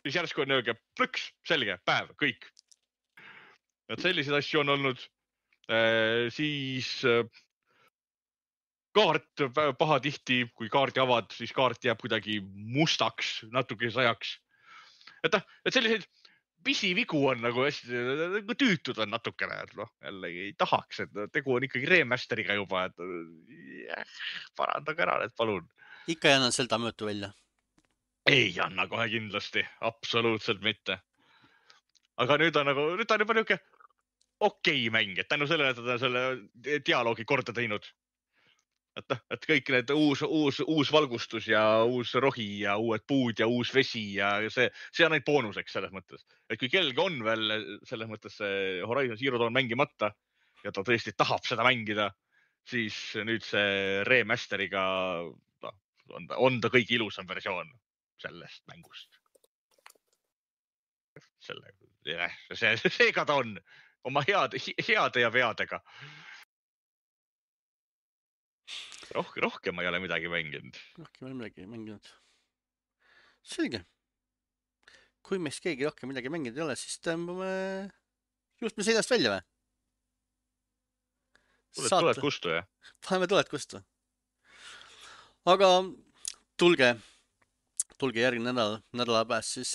Siis järsku on plõks, selge, päev, kõik. Et selliseid asju on olnud. Siis kaart pahatihti, kui kaarti avad, siis kaart jääb kuidagi mustaks, natuke sajaks. Et selliseid pisivigu on nagu hästi tüütud on natukene, et jällegi ei tahaks, et tegu on ikkagi remasteriga juba, et parandage ära need, palun. Ikka ei anna Zelda möötu välja? Ei anna kohe kindlasti, absoluutselt mitte. Aga nüüd on juba niuke okei mäng, et tänu sellele, et ta selle dialoogi korda teinud. Et kõik need uus valgustus ja uus rohi ja uued puud ja uus vesi ja see on neid boonuseks selles mõttes. Et kui kellelgi on veel selles mõttes Horizon Zero Dawn mängimata ja ta tõesti tahab seda mängida, siis nüüd see remasteriga on ta kõige ilusam versioon sellest mängust. Seega ta on oma heade ja veadega. Rohkem ma ei ole midagi mänginud. Rohkem ei ole midagi mänginud. Selge. Kui meist keegi rohkem midagi mänginud ei ole, siis tõmbame juhtme seljast välja või? Tuled kustu, jah? Paneme tuled kustu. Aga tulge järgmine nädala pääst siis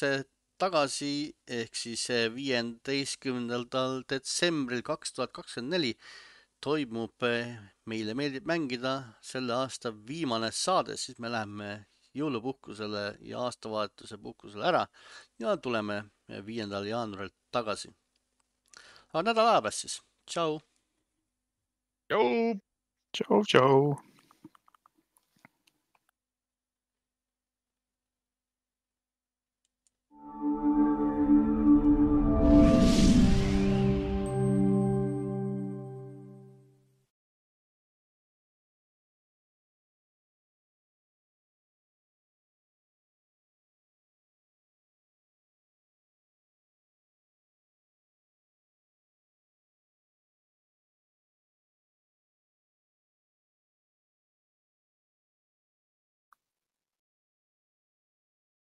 tagasi ehk siis 15. detsembril 2024 toimub meile meeldib mängida selle aasta viimane saade, siis me läheme jõulupuhkusele ja aastavahetuse puhkusele ära ja tuleme 5. jaanuaril tagasi. Aga nädala aja pärast siis. Tšau! Tšau! Tšau, tšau.